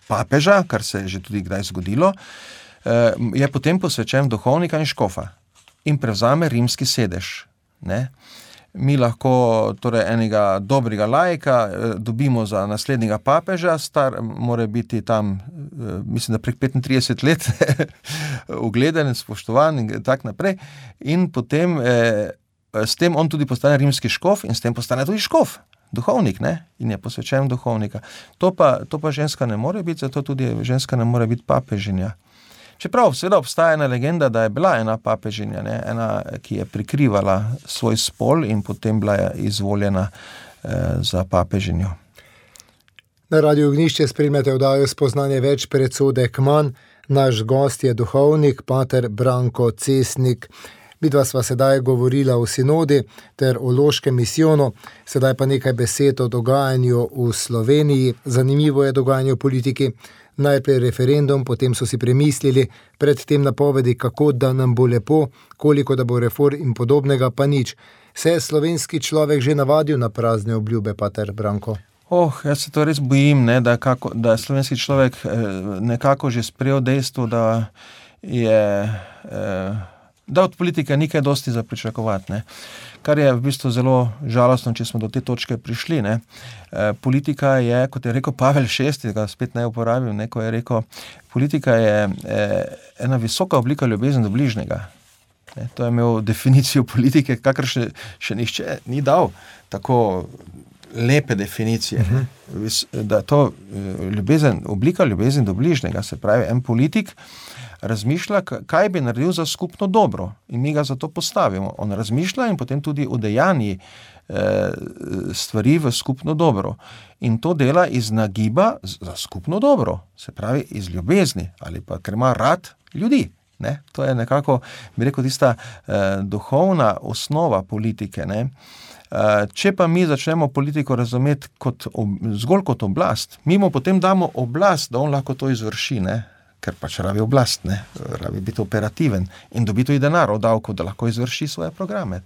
papeža, kar se je že tudi kdaj zgodilo, je potem posvečen duhovnika in škofa in prevzame rimski sedež. Ne? Mi lahko torej enega dobrega laika dobimo za naslednjega papeža, star mora biti tam, mislim, da prek petintrideset let ugleden, spoštovan in tak naprej. In potem eh, s tem on tudi postane rimski škof in s tem postane tudi škof, duhovnik, ne? In je posvečen duhovnika. To pa, to pa ženska ne more biti, zato tudi ženska ne more biti papežinja. Čeprav seveda obstaja ena legenda, da je bila ena papežinja, ne? Ena, ki je prikrivala svoj spol in potem bila izvoljena eh, za papežinjo. Na Radiu Ognjišče spremljate oddajo Spoznanje več, predsodek manj. Naš gost je duhovnik, pater Branko Cesnik. Midva sva sedaj govorila o sinodi ter o loškem misijonu, sedaj pa nekaj besed o dogajanju v Sloveniji. Zanimivo je dogajanje v politiki. Najprej referendum, potem so si premislili, predtem napovedi, kako da nam bo lepo, koliko da bo reform in podobnega, pa nič. Se je slovenski človek že navadil na prazne obljube, pater Branko? Oh, jaz se to res bojim, ne, da, kako, da je slovenski človek nekako že sprejel dejstvo, da je, eh, da od politike ni kaj dosti za pričakovati, ne. Kar je v bistvu zelo žalostno, če smo do te točke prišli, ne. E, politika je, kot je rekel Pavel šesti, ga spet ne uporabim, ne, ko je rekel, politika je e, ena visoka oblika ljubezni do bližnjega. Ne, to je imel definicijo politike, kakor še, še nišče ni dal tako lepe definicije, ne. Da to ljubezen, oblika ljubezni do bližnjega, se pravi, en politik razmišlja, kaj bi naredil za skupno dobro in mi ga za to postavimo. On razmišlja in potem tudi udejanji eh, stvari v skupno dobro. In to dela iz nagiba za skupno dobro, se pravi iz ljubezni ali pa ker ima rad ljudi. Ne? To je nekako, bi rekel, tista eh, duhovna osnova politike, ne. Če pa mi začnemo politiko razumeti kot, zgolj kot oblast, mi mu potem damo oblast, da on lahko to izvrši, ne? Ker pač rabi oblast, ne? Rabi biti operativen in dobi tudi denar od davkov, da lahko izvrši svoje programe.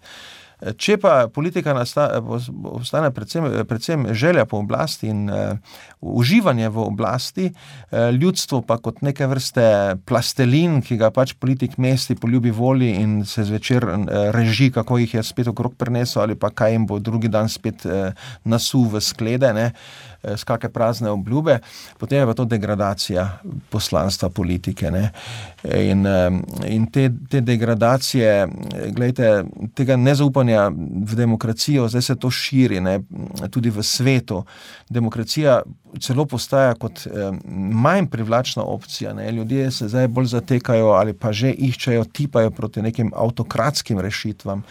Če pa politika ostane predvsem, predvsem želja po oblasti in uh, uživanje v oblasti, uh, ljudstvo pa kot neke vrste plastelin, ki ga pač politik mesti po ljubi volji in se zvečer uh, reži, kako jih je spet okrog prinesel ali pa kaj jim bo drugi dan spet uh, nasul v sklede, ne, s kakšne prazne obljube, potem je pa to degradacija poslanstva politike, ne. In, in te, te degradacije, glejte, tega nezaupanja v demokracijo, zdaj se to širi, ne, tudi v svetu. Demokracija celo postaja kot eh, manj privlačna opcija, ne. Ljudje se zdaj bolj zatekajo ali pa že iščejo, tipajo proti nekim avtokratskim rešitvam.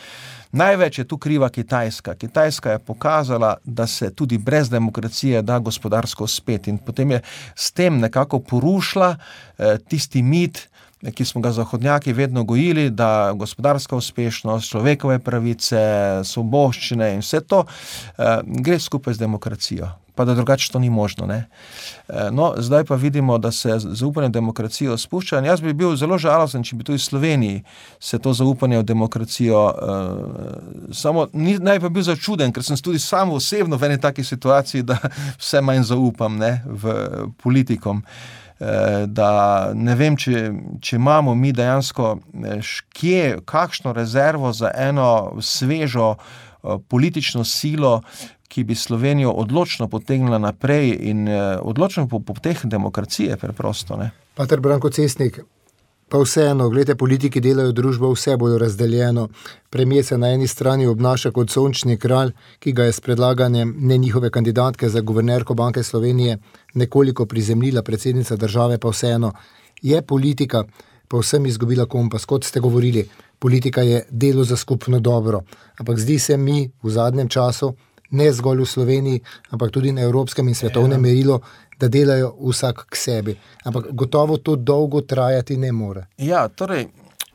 Največ je tu kriva Kitajska. Kitajska je pokazala, da se tudi brez demokracije da gospodarsko spet in potem je s tem nekako porušila eh, tisti mit, ki smo ga zahodnjaki vedno gojili, da gospodarska uspešnost, človekove pravice, svoboščine in vse to eh, gre skupaj z demokracijo. Pa da drugače to ni možno, ne. No, zdaj pa vidimo, da se zaupanje v demokracijo spušča in jaz bi bil zelo žalosten, če bi tudi v Sloveniji se to zaupanje v demokracijo uh, samo, ni, naj pa bil začuden, ker sem tudi sam osebno v eni taki situaciji, da vse manj zaupam, ne, v politikom. Da ne vem, če, če imamo mi dejansko kje, kakšno rezervo za eno svežo politično silo, ki bi Slovenijo odločno potegnila naprej in odločno po poteh demokracije preprosto, ne. Pater Branko Cesnik, pa vseeno, gledajte, politiki delajo družbo vse bolj razdeljeno. Premier se na eni strani obnaša kot sončni kralj, ki ga je s predlaganjem ne njihove kandidatke za guvernerko Banke Slovenije nekoliko prizemljila predsednica države, pa vseeno je politika povsem izgubila kompas. Kot ste govorili, politika je delo za skupno dobro, ampak zdi se mi v zadnjem času, ne zgolj v Sloveniji, ampak tudi na evropskem in svetovnem merilu, da delajo vsak k sebi. Ampak gotovo to dolgo trajati ne more. Ja, torej,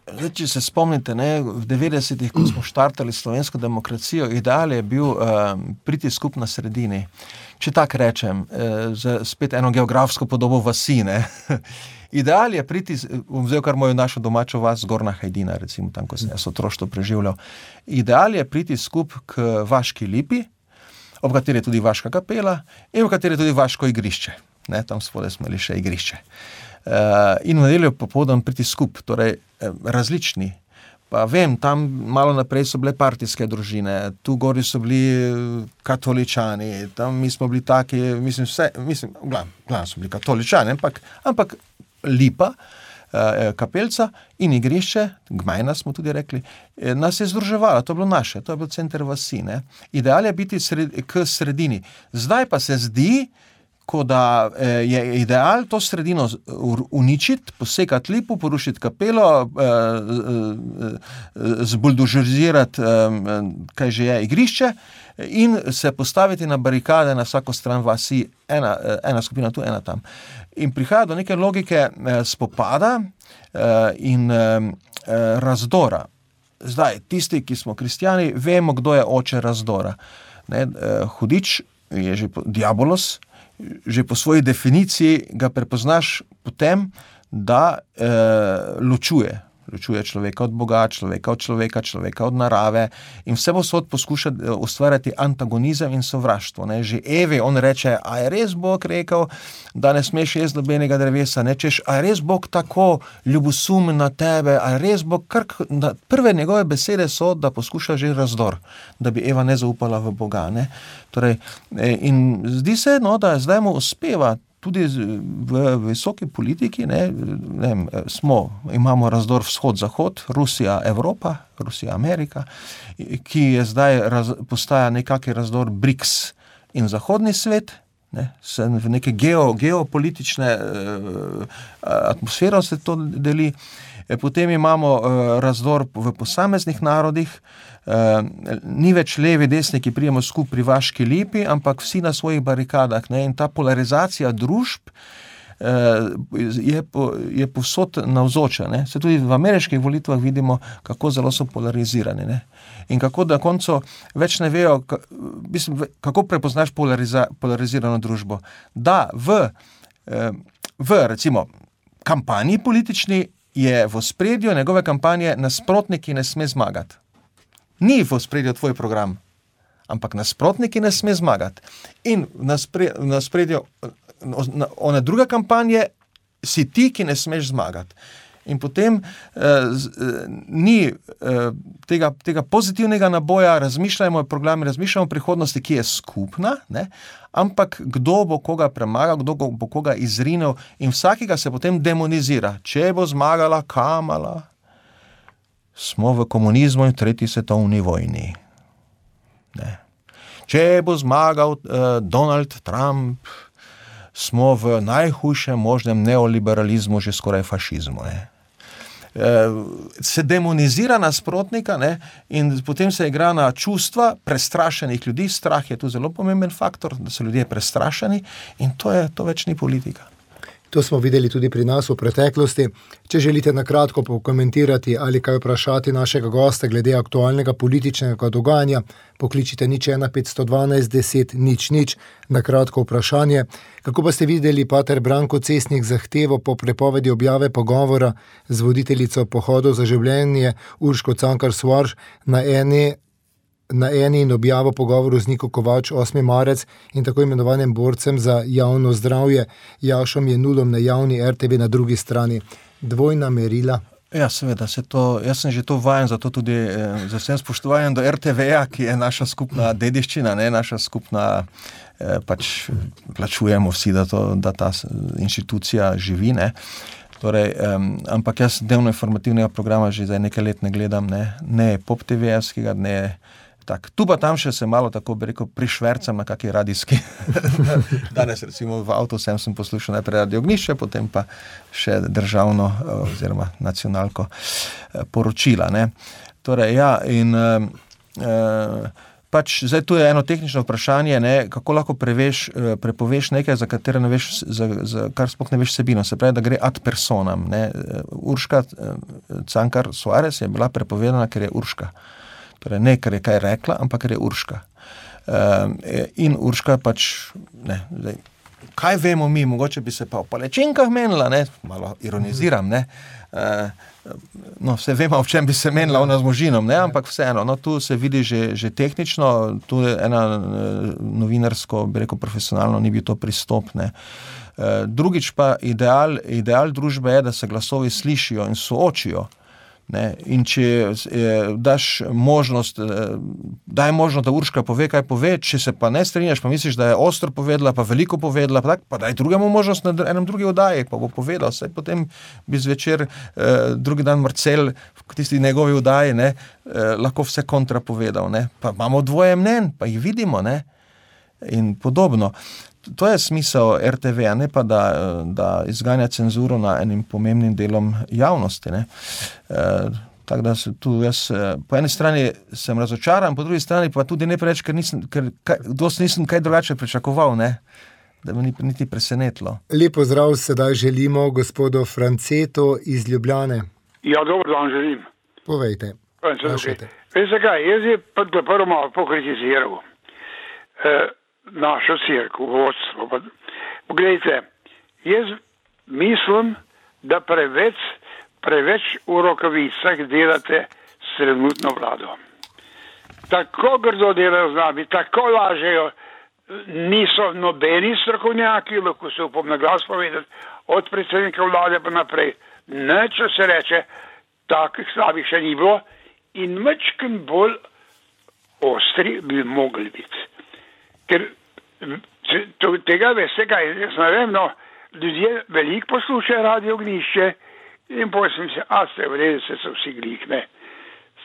zdaj, če se spomnite, ne, v devetdesetih, ko smo štartali slovensko demokracijo, ideal je bil uh, priti skup na sredini. Če tak rečem, uh, z spet eno geografsko podobo vasi, ne. Ideal je priti, bom vzel kar mojo našo domačo vas, Zgornja Hajdina, recimo tam, ko sem jaz otroštvo preživljal. Ideal je priti skup k Vaški lipi, ob kateri je tudi Vaška kapela in v kateri je tudi Vaško igrišče. Ne, tam spodaj smo imeli še igrišče. Uh, in v nedeljo popoldan priti skup, torej eh, različni. Pa vem, tam malo naprej so bile partijske družine, tu gori so bili katoličani, tam mi smo bili taki, mislim, vse, mislim, glavno, glavno so bili katoličani, ampak, ampak lipa, eh, kapelca in igrišče, Gmajna smo tudi rekli, eh, nas je združevala, to je bilo naše, to je bil center vasi, ne. Ideal je biti sred, k sredini. Zdaj pa se zdi, ko da eh, je ideal to sredino uničiti, posekati lipo, porušiti kapelo, eh, eh, zbuldožerizirati, eh, kaj že je, igrišče in se postaviti na barikade na vsako stran vasi, ena, ena skupina tu, ena tam. In prihaja do neke logike eh, spopada eh, in eh, razdora. Zdaj, tisti, ki smo kristjani, vemo, kdo je oče razdora. Ne, eh, hudič je že diabolos, že po svoji definiciji ga prepoznaš potem, da eh, ločuje. Ločuje človeka od Boga, človeka od človeka, človeka od narave in vse posod poskuša ustvarjati antagonizem in sovraštvo. Ne. Že Evi on reče, a je res Bog rekel, da ne smeš jesti nobenega drevesa, ne češ, a je res Bog tako ljubosumen na tebe, a je res Bog, kar, prve njegove besede so, da poskuša že razdor, da bi Eva ne zaupala v Boga. Ne. Torej, in zdi se, no, da zdaj mu uspeva tudi v visoki politiki, ne, ne, smo, imamo razdor vzhod-zahod, Rusija, Evropa, Rusija, Amerika, ki je zdaj raz, postaja nekakšen razdor BRICS in zahodni svet, ne, se v neke geo, geopolitične uh, atmosfero se to deli. E, potem imamo uh, razdor v posameznih narodih, Uh, ni več levi, desni, ki prijemo skup pri Vaški Lipi, ampak vsi na svojih barikadah. Ne? In ta polarizacija družb uh, je, po, je povsod navzoča. Ne? Se tudi v ameriških volitvah vidimo, kako zelo so polarizirani. Ne? In kako na koncu več ne vejo, mislim, kako prepoznaš polariza, polarizirano družbo. Da v, uh, v recimo kampanji politični je v ospredju njegove kampanje nasprotniki ne sme zmagati. Ni v ospredju tvoj program, ampak nasprotniki ne sme zmagati. In v ospredju one druge kampanje si ti, ki ne smeš zmagati. In potem eh, ni eh, tega, tega pozitivnega naboja, razmišljamo o programi, razmišljamo o prihodnosti, ki je skupna, ne? Ampak kdo bo koga premagal, kdo bo koga izrinil in vsakega se potem demonizira. Če bo zmagala Kamala, smo v komunizmu in tretji svetovni vojni. Ne. Če bo zmagal uh, Donald Trump, smo v najhujšem možnem neoliberalizmu, že skoraj fašizmu. Ne. Uh, se demonizira nasprotnika, ne, in potem se igra na čustva prestrašenih ljudi. Strah je tu zelo pomemben faktor, da so ljudje prestrašeni in to, je, to več ni politika. To smo videli tudi pri nas v preteklosti. Če želite na kratko pokomentirati ali kaj vprašati našega gosta glede aktualnega političnega dogajanja, pokličite nič ena petsto dvanajst deset nič nič na kratko vprašanje. Kako pa ste videli, pater Branko Cesnik, zahtevo po prepovedi objave pogovora z voditeljico Pohodov za življenje Urško Cankar Soares na eni na eni in objavo pogovoru z Niko Kovač osmi marec in tako imenovanim borcem za javno zdravje Jašom Jenulom na javni er te ve na drugi strani. Dvojna merila. Ja, seveda, se to, jaz sem že to vajen, zato tudi eh, z vsem spoštovanjem do er te ve-ja, ki je naša skupna dediščina, ne, naša skupna, eh, pač plačujemo vsi, da, to, da ta inštitucija živi, ne. Torej, um, ampak jaz dnevno informativnega programa že zdaj nekaj let ne gledam, ne, ne pop te ve-jevskega, ne tak. Tu pa tam še se malo tako bi rekel prišvercam na kakej radijski. Danes recimo v avtu sem, sem poslušal najprej Radio Ognišče, potem pa še državno oziroma nacionalko poročila. Ne. Torej, ja, in uh, uh, pač zdaj tu je eno tehnično vprašanje, ne, kako lahko preveš, prepoveš nekaj, za katero ne veš, za, za kar sploh ne veš vsebino. Se pravi, da gre ad personam. Ne. Urška Cankar Soares je bila prepovedana, ker je Urška. Torej ne, ker je kaj rekla, ampak ker je Urška. Um, in Urška pač, ne, zdaj, kaj vemo mi, mogoče bi se pa o palačinkah menila, ne, malo ironiziram, ne, uh, no, vse vemo, v čem bi se menila ona z možinom, ne, ampak vseeno, no, tu se vidi že, že tehnično, tu je ena novinarsko, bi rekel, profesionalno, ni bil to pristop, ne. Uh, drugič pa ideal, ideal družbe je, da se glasovi slišijo in soočijo. Ne, in če eh, daš možnost, eh, daj možnost, da Urška pove, kaj pove, če se pa ne strinjaš, pa misliš, da je ostro povedala, pa veliko povedala, pa, tak, pa daj drugemu možnost na enem drugi oddaji, pa bo povedal, saj potem bi zvečer eh, drugi dan Marcel v tisti njegovi oddaji, ne, eh, lahko vse kontra povedal, ne, pa imamo dvoje mnen, pa jih vidimo, ne, in podobno. To je smisel er te ve, ne pa da, da izganja cenzuro na enim pomembnim delom javnosti. Ne. E, tako da se tu jaz po eni strani sem razočaran, po drugi strani pa tudi ne preveč, ker nisem, ker kaj, dosti nisem kaj drugače pričakoval, ne, da me ni niti presenetilo. Lepo zdrav sedaj želimo gospodu Francetu iz Ljubljane. Ja, dobro dan želim. Povejte. Veste kaj, jaz je pa prvo malo pokritiziral. E, našo cerkev, vodstvo. Poglejte, jaz mislim, da preveč preveč v rokavicah delate s trenutno vlado. Tako grdo delajo z nami, tako lažejo, niso nobeni strokovnjaki, lahko se upam na glas povedati, od predsednika vlade pa naprej. Nič se reče, takih slabih še ni bilo in mečken bolj ostri bi mogli biti. Ker tega veste kaj, jaz ne vem, no, ljudje veliko poslušajo Radio Ognišče in potem sem se, a ste v redu, se so vsi glih, ne.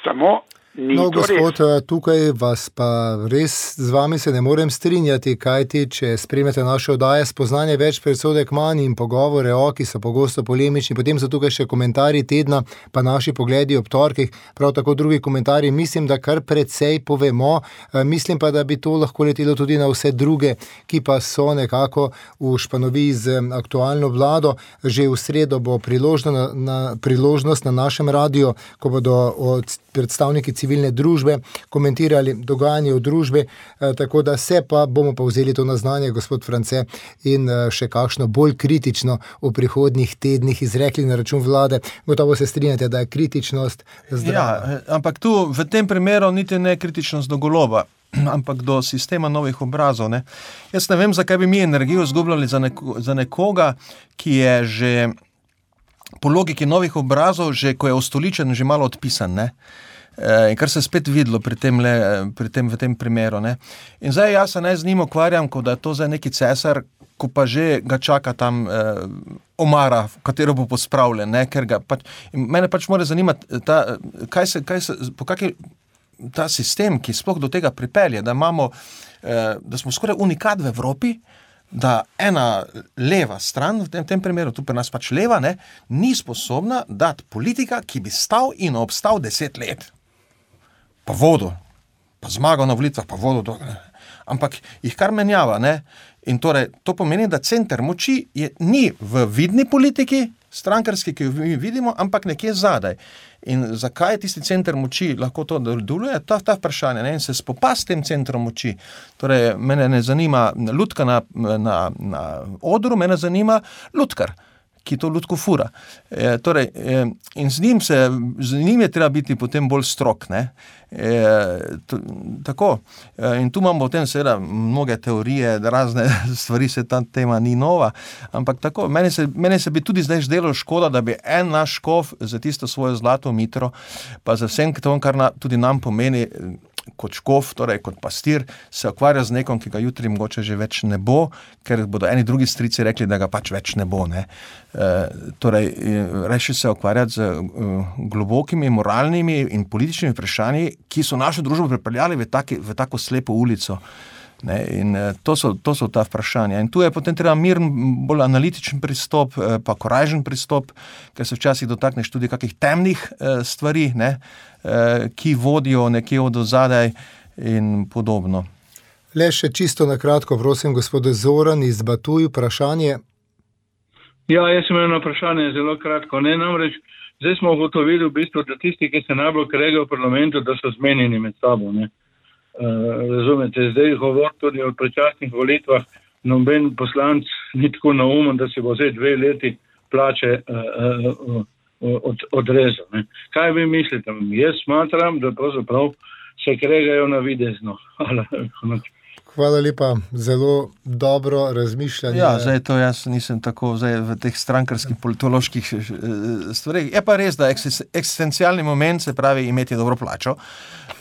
Samo ni no, to gospod, res. tukaj vas pa res z vami se ne morem strinjati, kajti, če spremete naše oddaje Spoznanje več, predsodek manj in pogovore o, ki so pogosto polemični, potem so tukaj še komentarji tedna, pa naši pogledi ob torkih, prav tako drugi komentarji, mislim, da kar precej povemo, mislim pa, da bi to lahko letelo tudi na vse druge, ki pa so nekako v španoviji z aktualno vlado. Že v sredo bo priložno na, na, priložnost na našem radiju, ko bodo od predstavniki civilne družbe komentirali dogajanje v družbi, eh, tako da se pa bomo pa vzeli to na znanje, gospod France, in eh, še kakšno bolj kritično v prihodnjih tednih izrekli na račun vlade. Gotovo se strinjate, da je kritičnost zdrava. Ja, ampak tu v tem primeru niti ne kritičnost do Goloba, ampak do sistema novih obrazov. Ne. Jaz ne vem, zakaj bi mi energijo izgubljali za, neko, za nekoga, ki je že po logiki novih obrazov, že ko je ustoličen, že malo odpisan, ne. E, in kar se spet videlo pri tem, le, pri tem v tem primeru, ne. In zdaj jaz se ne z njim ukvarjam, kot da je to zdaj neki cesar, ko pa že ga čaka tam eh, omara, v katero bo pospravljen, ne, ker ga pač, mene pač mora zanimati, ta, kaj se, kaj se, po kaki ta sistem, ki sploh do tega pripelje, da imamo, eh, da smo skoraj unikat v Evropi, da ena leva stran, v tem, tem primeru, tu pri nas pač leva, ne, ni sposobna dati politika, ki bi stal in obstal deset let. Pa vodo, pa zmagal na volitvah, pa vodo, ampak jih kar menjava, ne. In torej, to pomeni, da center moči je, ni v vidni politiki, strankarski, ki jo mi vidimo, ampak nekje zadaj. In zakaj tisti center moči lahko to deluje, ta, ta vprašanje, ne? In se spopast s tem centrom moči. Torej, mene ne zanima lutka na, na, na odru, mene zanima lutkar, ki to lutko fura. E, torej, e, in z njim, se, z njim je treba biti potem bolj strok, ne? E, to, tako. E, in tu imamo potem seveda mnoge teorije, razne stvari, se ta tema ni nova, ampak tako, meni se, meni se bi tudi zdaj zdelo škoda, da bi en naš škof za tisto svojo zlato mitro, pa za vsem to, kar na, tudi nam pomeni kot škof, torej kot pastir, se ukvarja z nekom, ki ga jutri mogoče že več ne bo, ker bodo eni drugi strici rekli, da ga pač več ne bo, ne. E, torej, reši se ukvarjati z uh, globokimi moralnimi in političnimi vprašanji, ki so našo družbo pripeljali v, taki, v tako slepo ulico. Ne, in to so, to so ta vprašanja. In tu je potem treba miren, bolj analitičen pristop, pa korajžen pristop, ker se včasih dotakneš tudi kakih temnih eh, stvari, ne, eh, ki vodijo nekje od ozadaj in podobno. Le še čisto na kratko, prosim, gospod Zoran iz Batuj, vprašanje. Ja, jaz sem eno vprašanje zelo kratko. Ne, namreč, zdaj smo ugotovili v bistvu, da tisti, ki se najbolj kregajo v parlamentu, da so zmenjeni med sabo, ne. Uh, razumete, zdaj govor tudi o predčasnih volitvah, noben poslanc ni tako naumen, da se bo zdaj dve leti plače uh, uh, uh, od, odrezal. Ne. Kaj vi mislite? Jaz smatram, da pravzaprav se kregajo navidezno. Hvala lepa, zelo dobro razmišljanje. Ja, zdaj to jaz nisem tako zdaj v teh strankarskih politoloških stvareh. Je pa res, da eksistencialni moment, se pravi imeti dobro plačo,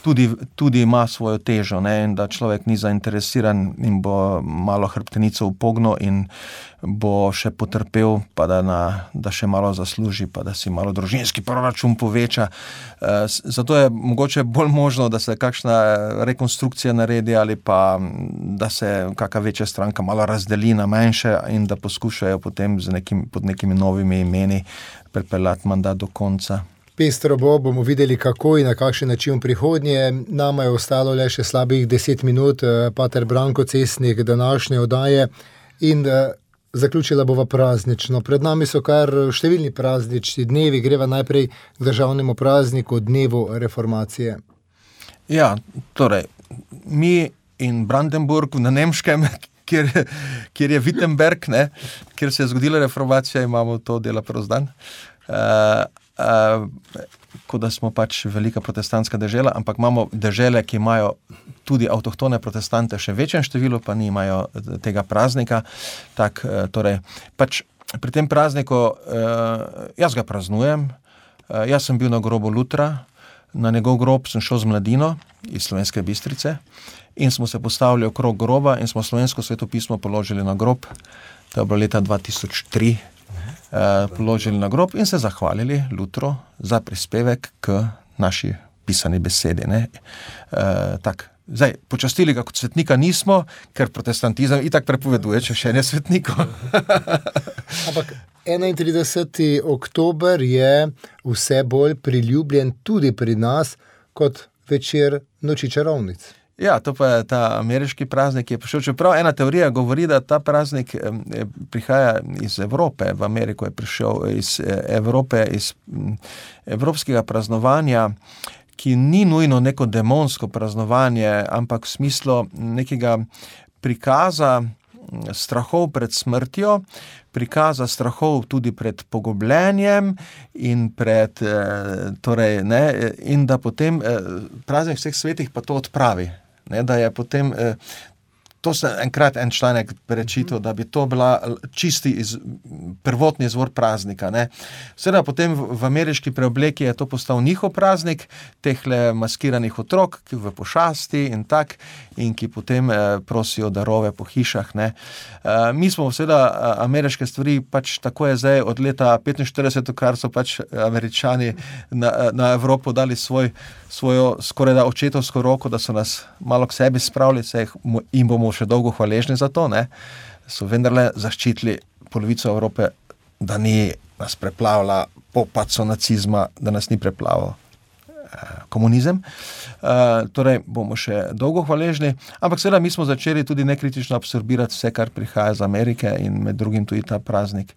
tudi, tudi ima svojo težo, ne, in da človek ni zainteresiran in bo malo hrbtenico upognil in bo še potrpel, pa da, na, da še malo zasluži, pa da si malo družinski proračun poveča. Zato je mogoče bolj možno, da se kakšna rekonstrukcija naredi ali pa da se kakšna večja stranka malo razdeli na manjše in da poskušajo potem z nekim, pod nekimi novimi imeni pripeljati mandat do konca. Pestro bo, bomo videli kako in na kakšen način v prihodnje. Nama je ostalo le še slabih deset minut, pater Branko Cesnik današnje oddaje in zaključila bova praznično. Pred nami so kar številni praznični dnevi, greva najprej k državnemu prazniku, dnevu reformacije. Ja, torej, mi in Brandenburg na Nemškem, kjer, kjer je Wittenberg, ne, kjer se je zgodila reformacija, imamo to dela prost dan. Uh, uh, kot da smo pač velika protestantska dežela, ampak imamo dežele, ki imajo tudi avtohtone protestante še večjem številu, pa nimajo tega praznika. Tak, uh, torej, pač pri tem prazniku, uh, jaz ga praznujem, uh, jaz sem bil na grobu Lutra, na njegov grob sem šel z mladino iz Slovenske Bistrice in smo se postavili okrog groba in smo slovensko svetopismo položili na grob, to je bilo leta dva tisoč tri, uh, položili na grob in se zahvalili Lutru za prispevek k naši pisani besedi. Ne? Uh, tak, zdaj, počastili ga kot svetnika nismo, ker protestantizem itak prepoveduje, če še ne svetnikov. Ampak enaintrideseti oktober je vse bolj priljubljen tudi pri nas kot večer Noči čarovnic. Ja, to pa je ta ameriški praznik, ki je prišel. Čeprav ena teorija govori, da ta praznik eh, prihaja iz Evrope. V Ameriko je prišel iz Evrope, iz evropskega praznovanja, ki ni nujno neko demonsko praznovanje, ampak v smislu nekega prikaza strahov pred smrtjo, prikaza strahov tudi pred pogubljenjem in pred, eh, torej, ne, in da potem eh, praznik vseh svetih pa to odpravi. Ne, da je potem, eh, to se enkrat en članek prečital, da bi to bila čisti iz, prvotni izvor praznika. Ne. Seveda potem v, v ameriški preobleki je to postal njihov praznik, tehle maskiranih otrok, ki v pošasti in tak, in ki potem eh, prosijo darove po hišah. Ne. Eh, mi smo seveda ameriške stvari, pač tako je zdaj od leta petinštirideset, kar so pač Američani na, na Evropo dali svoj, svojo skoraj da očetovsko roko, da so nas malo k sebi spravili, se jim bomo še dolgo hvaležni za to, ne, so vendarle zaščitili polovico Evrope, da ni nas preplavila po padcu nacizma, da nas ni preplaval komunizem. Uh, torej, bomo še dolgo hvaležni, ampak seveda mi smo začeli tudi nekritično absorbirati vse, kar prihaja iz Amerike in med drugim tudi ta praznik.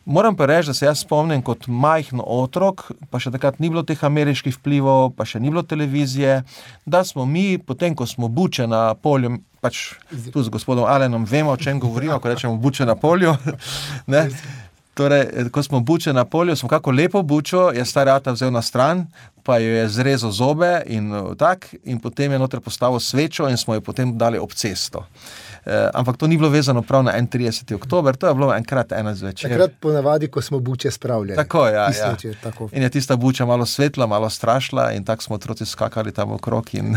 Moram pa reči, da se jaz spomnim kot majhen otrok, pa še takrat ni bilo teh ameriških vplivov, pa še ni bilo televizije, da smo mi, potem ko smo buče na polju, pač tu z gospodom Alenom vemo, o čem govorimo, ko rečemo buče na polju, ne? Torej, ko smo buče na polju, smo kako lepo bučo, je star ata vzel na stran, pa jo je zrezal zobe in tak, in potem je noter postavil svečo in smo jo potem dali ob cesto. E, ampak to ni bilo vezano prav na enaintrideseti oktober, to je bilo enkrat ena zvečer. Takrat ponavadi, ko smo buče spravljali. Tako, ja, ja. Večer, tako. In je tista buča malo svetla, malo strašla in tako smo otroci skakali tam okrog. In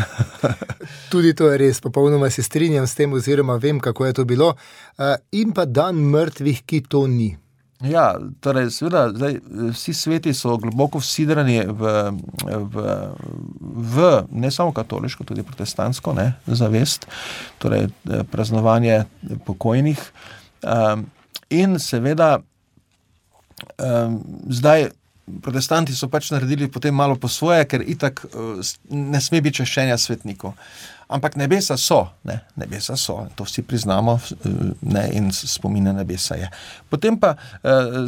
tudi to je res, popolnoma se strinjam s tem, oziroma vem, kako je to bilo. E, in pa dan mrtvih, ki to ni. Ja, torej, seveda, zdaj, vsi sveti so globoko vsidrani v, v, v ne samo katoliško, tudi protestantsko, ne, zavest, torej praznovanje pokojnih. Um, in seveda, um, zdaj, protestanti so pač naredili potem malo po svoje, ker itak uh, ne sme biti čaščenja svetnikov. Ampak nebesa so, ne, nebesa so, to vsi priznamo, ne, in spomine nebesa je. Potem pa,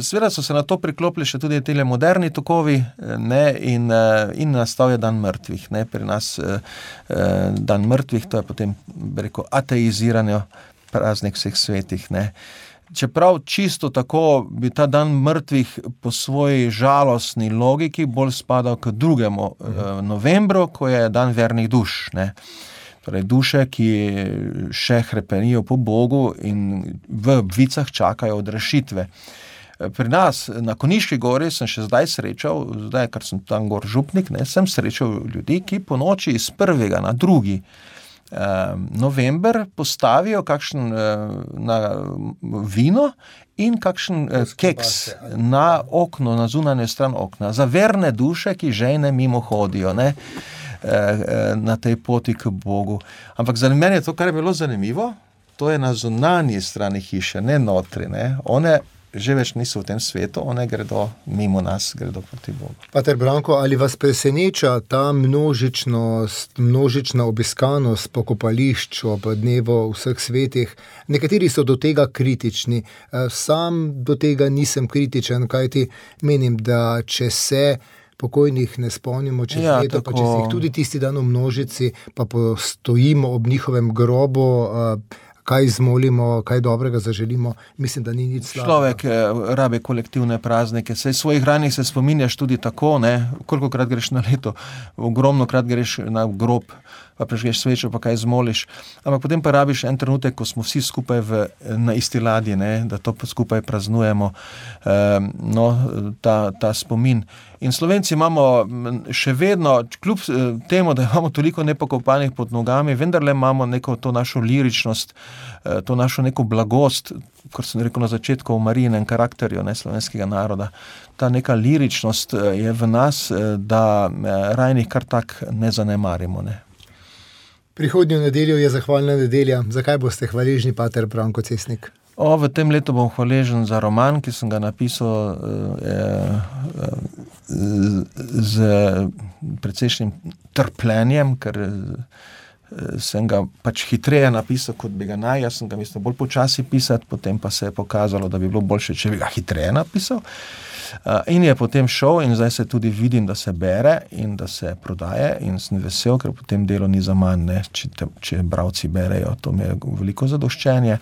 seveda so se na to priklopili še tudi tele moderni tokovi, ne, in, in nastal je dan mrtvih, ne, pri nas dan mrtvih, to je potem, bi rekel, ateiziranje, praznik vseh svetih, ne. Čeprav čisto tako bi ta dan mrtvih po svoji žalostni logiki bolj spadal k drugemu mhm. novembru, ko je dan vernih duš, ne. Torej duše, ki še hrepenijo po Bogu in v vicah čakajo od rešitve. Pri nas na Konjiški gori sem še zdaj srečal, zdaj, kar sem tam gor župnik, ne, sem srečal ljudi, ki po noči iz prvega na drugi eh, november postavijo kakšen eh, na vino in kakšen eh, keks na okno, na zunanjo stran okna, za verne duše, ki žejne mimo hodijo, ne, na tej poti k Bogu. Ampak za mene je to, kar je bilo zanimivo, to je na zunanji strani hiše, ne notri, ne. One že več niso v tem svetu, one gredo mimo nas, gredo proti Bogu. Pater Branko, ali vas preseneča ta množičnost, množična obiskanost pokopališč ob dnevu vseh svetih? Nekateri so do tega kritični. Sam do tega nisem kritičen, kajti menim, da če se pokojnih ne spomnimo čez ja, leto, tako... pa če si jih tudi tisti dan v množici, pa postojimo ob njihovem grobu, kaj izmolimo, kaj dobrega zaželimo, mislim, da ni nič slabega. Človek rabi kolektivne praznike, saj svojih ranih se spominjaš tudi tako, ne, kolikokrat greš na leto, ogromno krat greš na grob, pa prežgeš svečo, pa kaj zmoliš, ampak potem pa rabiš en trenutek, ko smo vsi skupaj v, na isti ladji, ne, da to skupaj praznujemo, e, no, ta, ta spomin. In Slovenci imamo še vedno, kljub temu, da imamo toliko nepokopanih pod nogami, vendarle imamo neko to našo liričnost, to našo neko blagost, kot sem rekel na začetku o Marijinem karakterju, ne, slovenskega naroda. Ta neka liričnost je v nas, da rajnih kar tak ne zanemarimo, ne. Prihodnjo nedeljo je zahvalna nedelja. Zakaj boste hvaležni, pater Branko Cesnik? O, v tem letu bom hvaležen za roman, ki sem ga napisal eh, z precejšnjim trpljenjem, ker sem ga pač hitreje napisal, kot bi ga naj. Jaz sem ga mislil bolj počasi pisati, potem pa se je pokazalo, da bi bilo boljše, če bi ga hitreje napisal. In je potem šel in zdaj se tudi vidim, da se bere in da se prodaje in sem vesel, ker potem delo ni za manj, ne, če, te, če bralci berejo, to mi je veliko zadoščenje.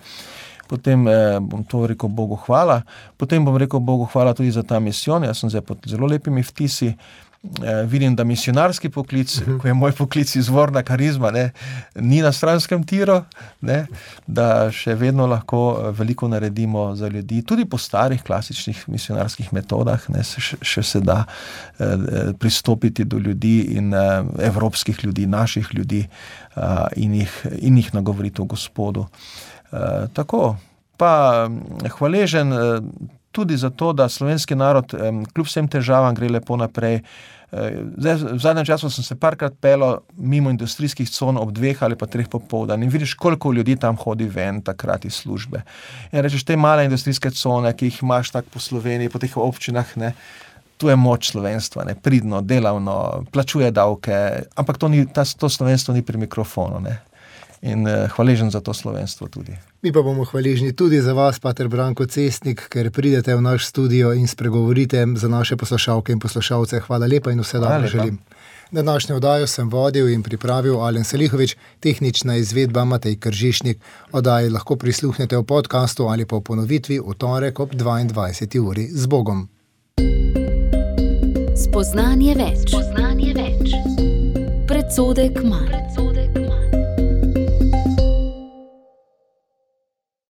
Potem eh, bom to rekel Bogu hvala, potem bom rekel Bogu hvala tudi za ta misijon, jaz sem zdaj pod zelo lepimi vtisi, eh, vidim, da misionarski poklic, uh-huh. ko je moj poklic izvorna karizma, ne, ni na stranskem tiru, ne, da še vedno lahko veliko naredimo za ljudi, tudi po starih klasičnih misionarskih metodah, ne, še, še se da eh, pristopiti do ljudi in eh, evropskih ljudi, naših ljudi eh, in, jih, in jih nagovoriti o Gospodu. Uh, tako, pa hvaležen uh, tudi za to, da slovenski narod um, kljub vsem težavam gre lepo naprej. Uh, zdaj, v zadnjem času sem se parkrat pelal mimo industrijskih con ob dveh ali pa treh popoldan in vidiš, koliko ljudi tam hodi ven takrat iz službe. In rečeš, te male industrijske cone, ki jih imaš tako po Sloveniji, po teh občinah, ne, tu je moč slovenstva, ne, pridno, delavno, plačuje davke, ampak to, ni, ta, to slovenstvo ni pri mikrofonu, ne. In uh, hvaležen za to slovenstvo tudi. Mi pa bomo hvaležni tudi za vas, pater Branko Cesnik, ker pridete v naš studio in spregovorite za naše poslušalke in poslušalce. Hvala lepa in vse dobro želim. Današnjo oddajo sem vodil in pripravil Alen Selihovič, tehnična izvedba Matej Kržišnik. Oddaji lahko prisluhnete v podcastu ali pa v ponovitvi v torek ob dvaindvajseti uri. Z Bogom. Spoznanje več. Spoznanje več. Predsodek manj.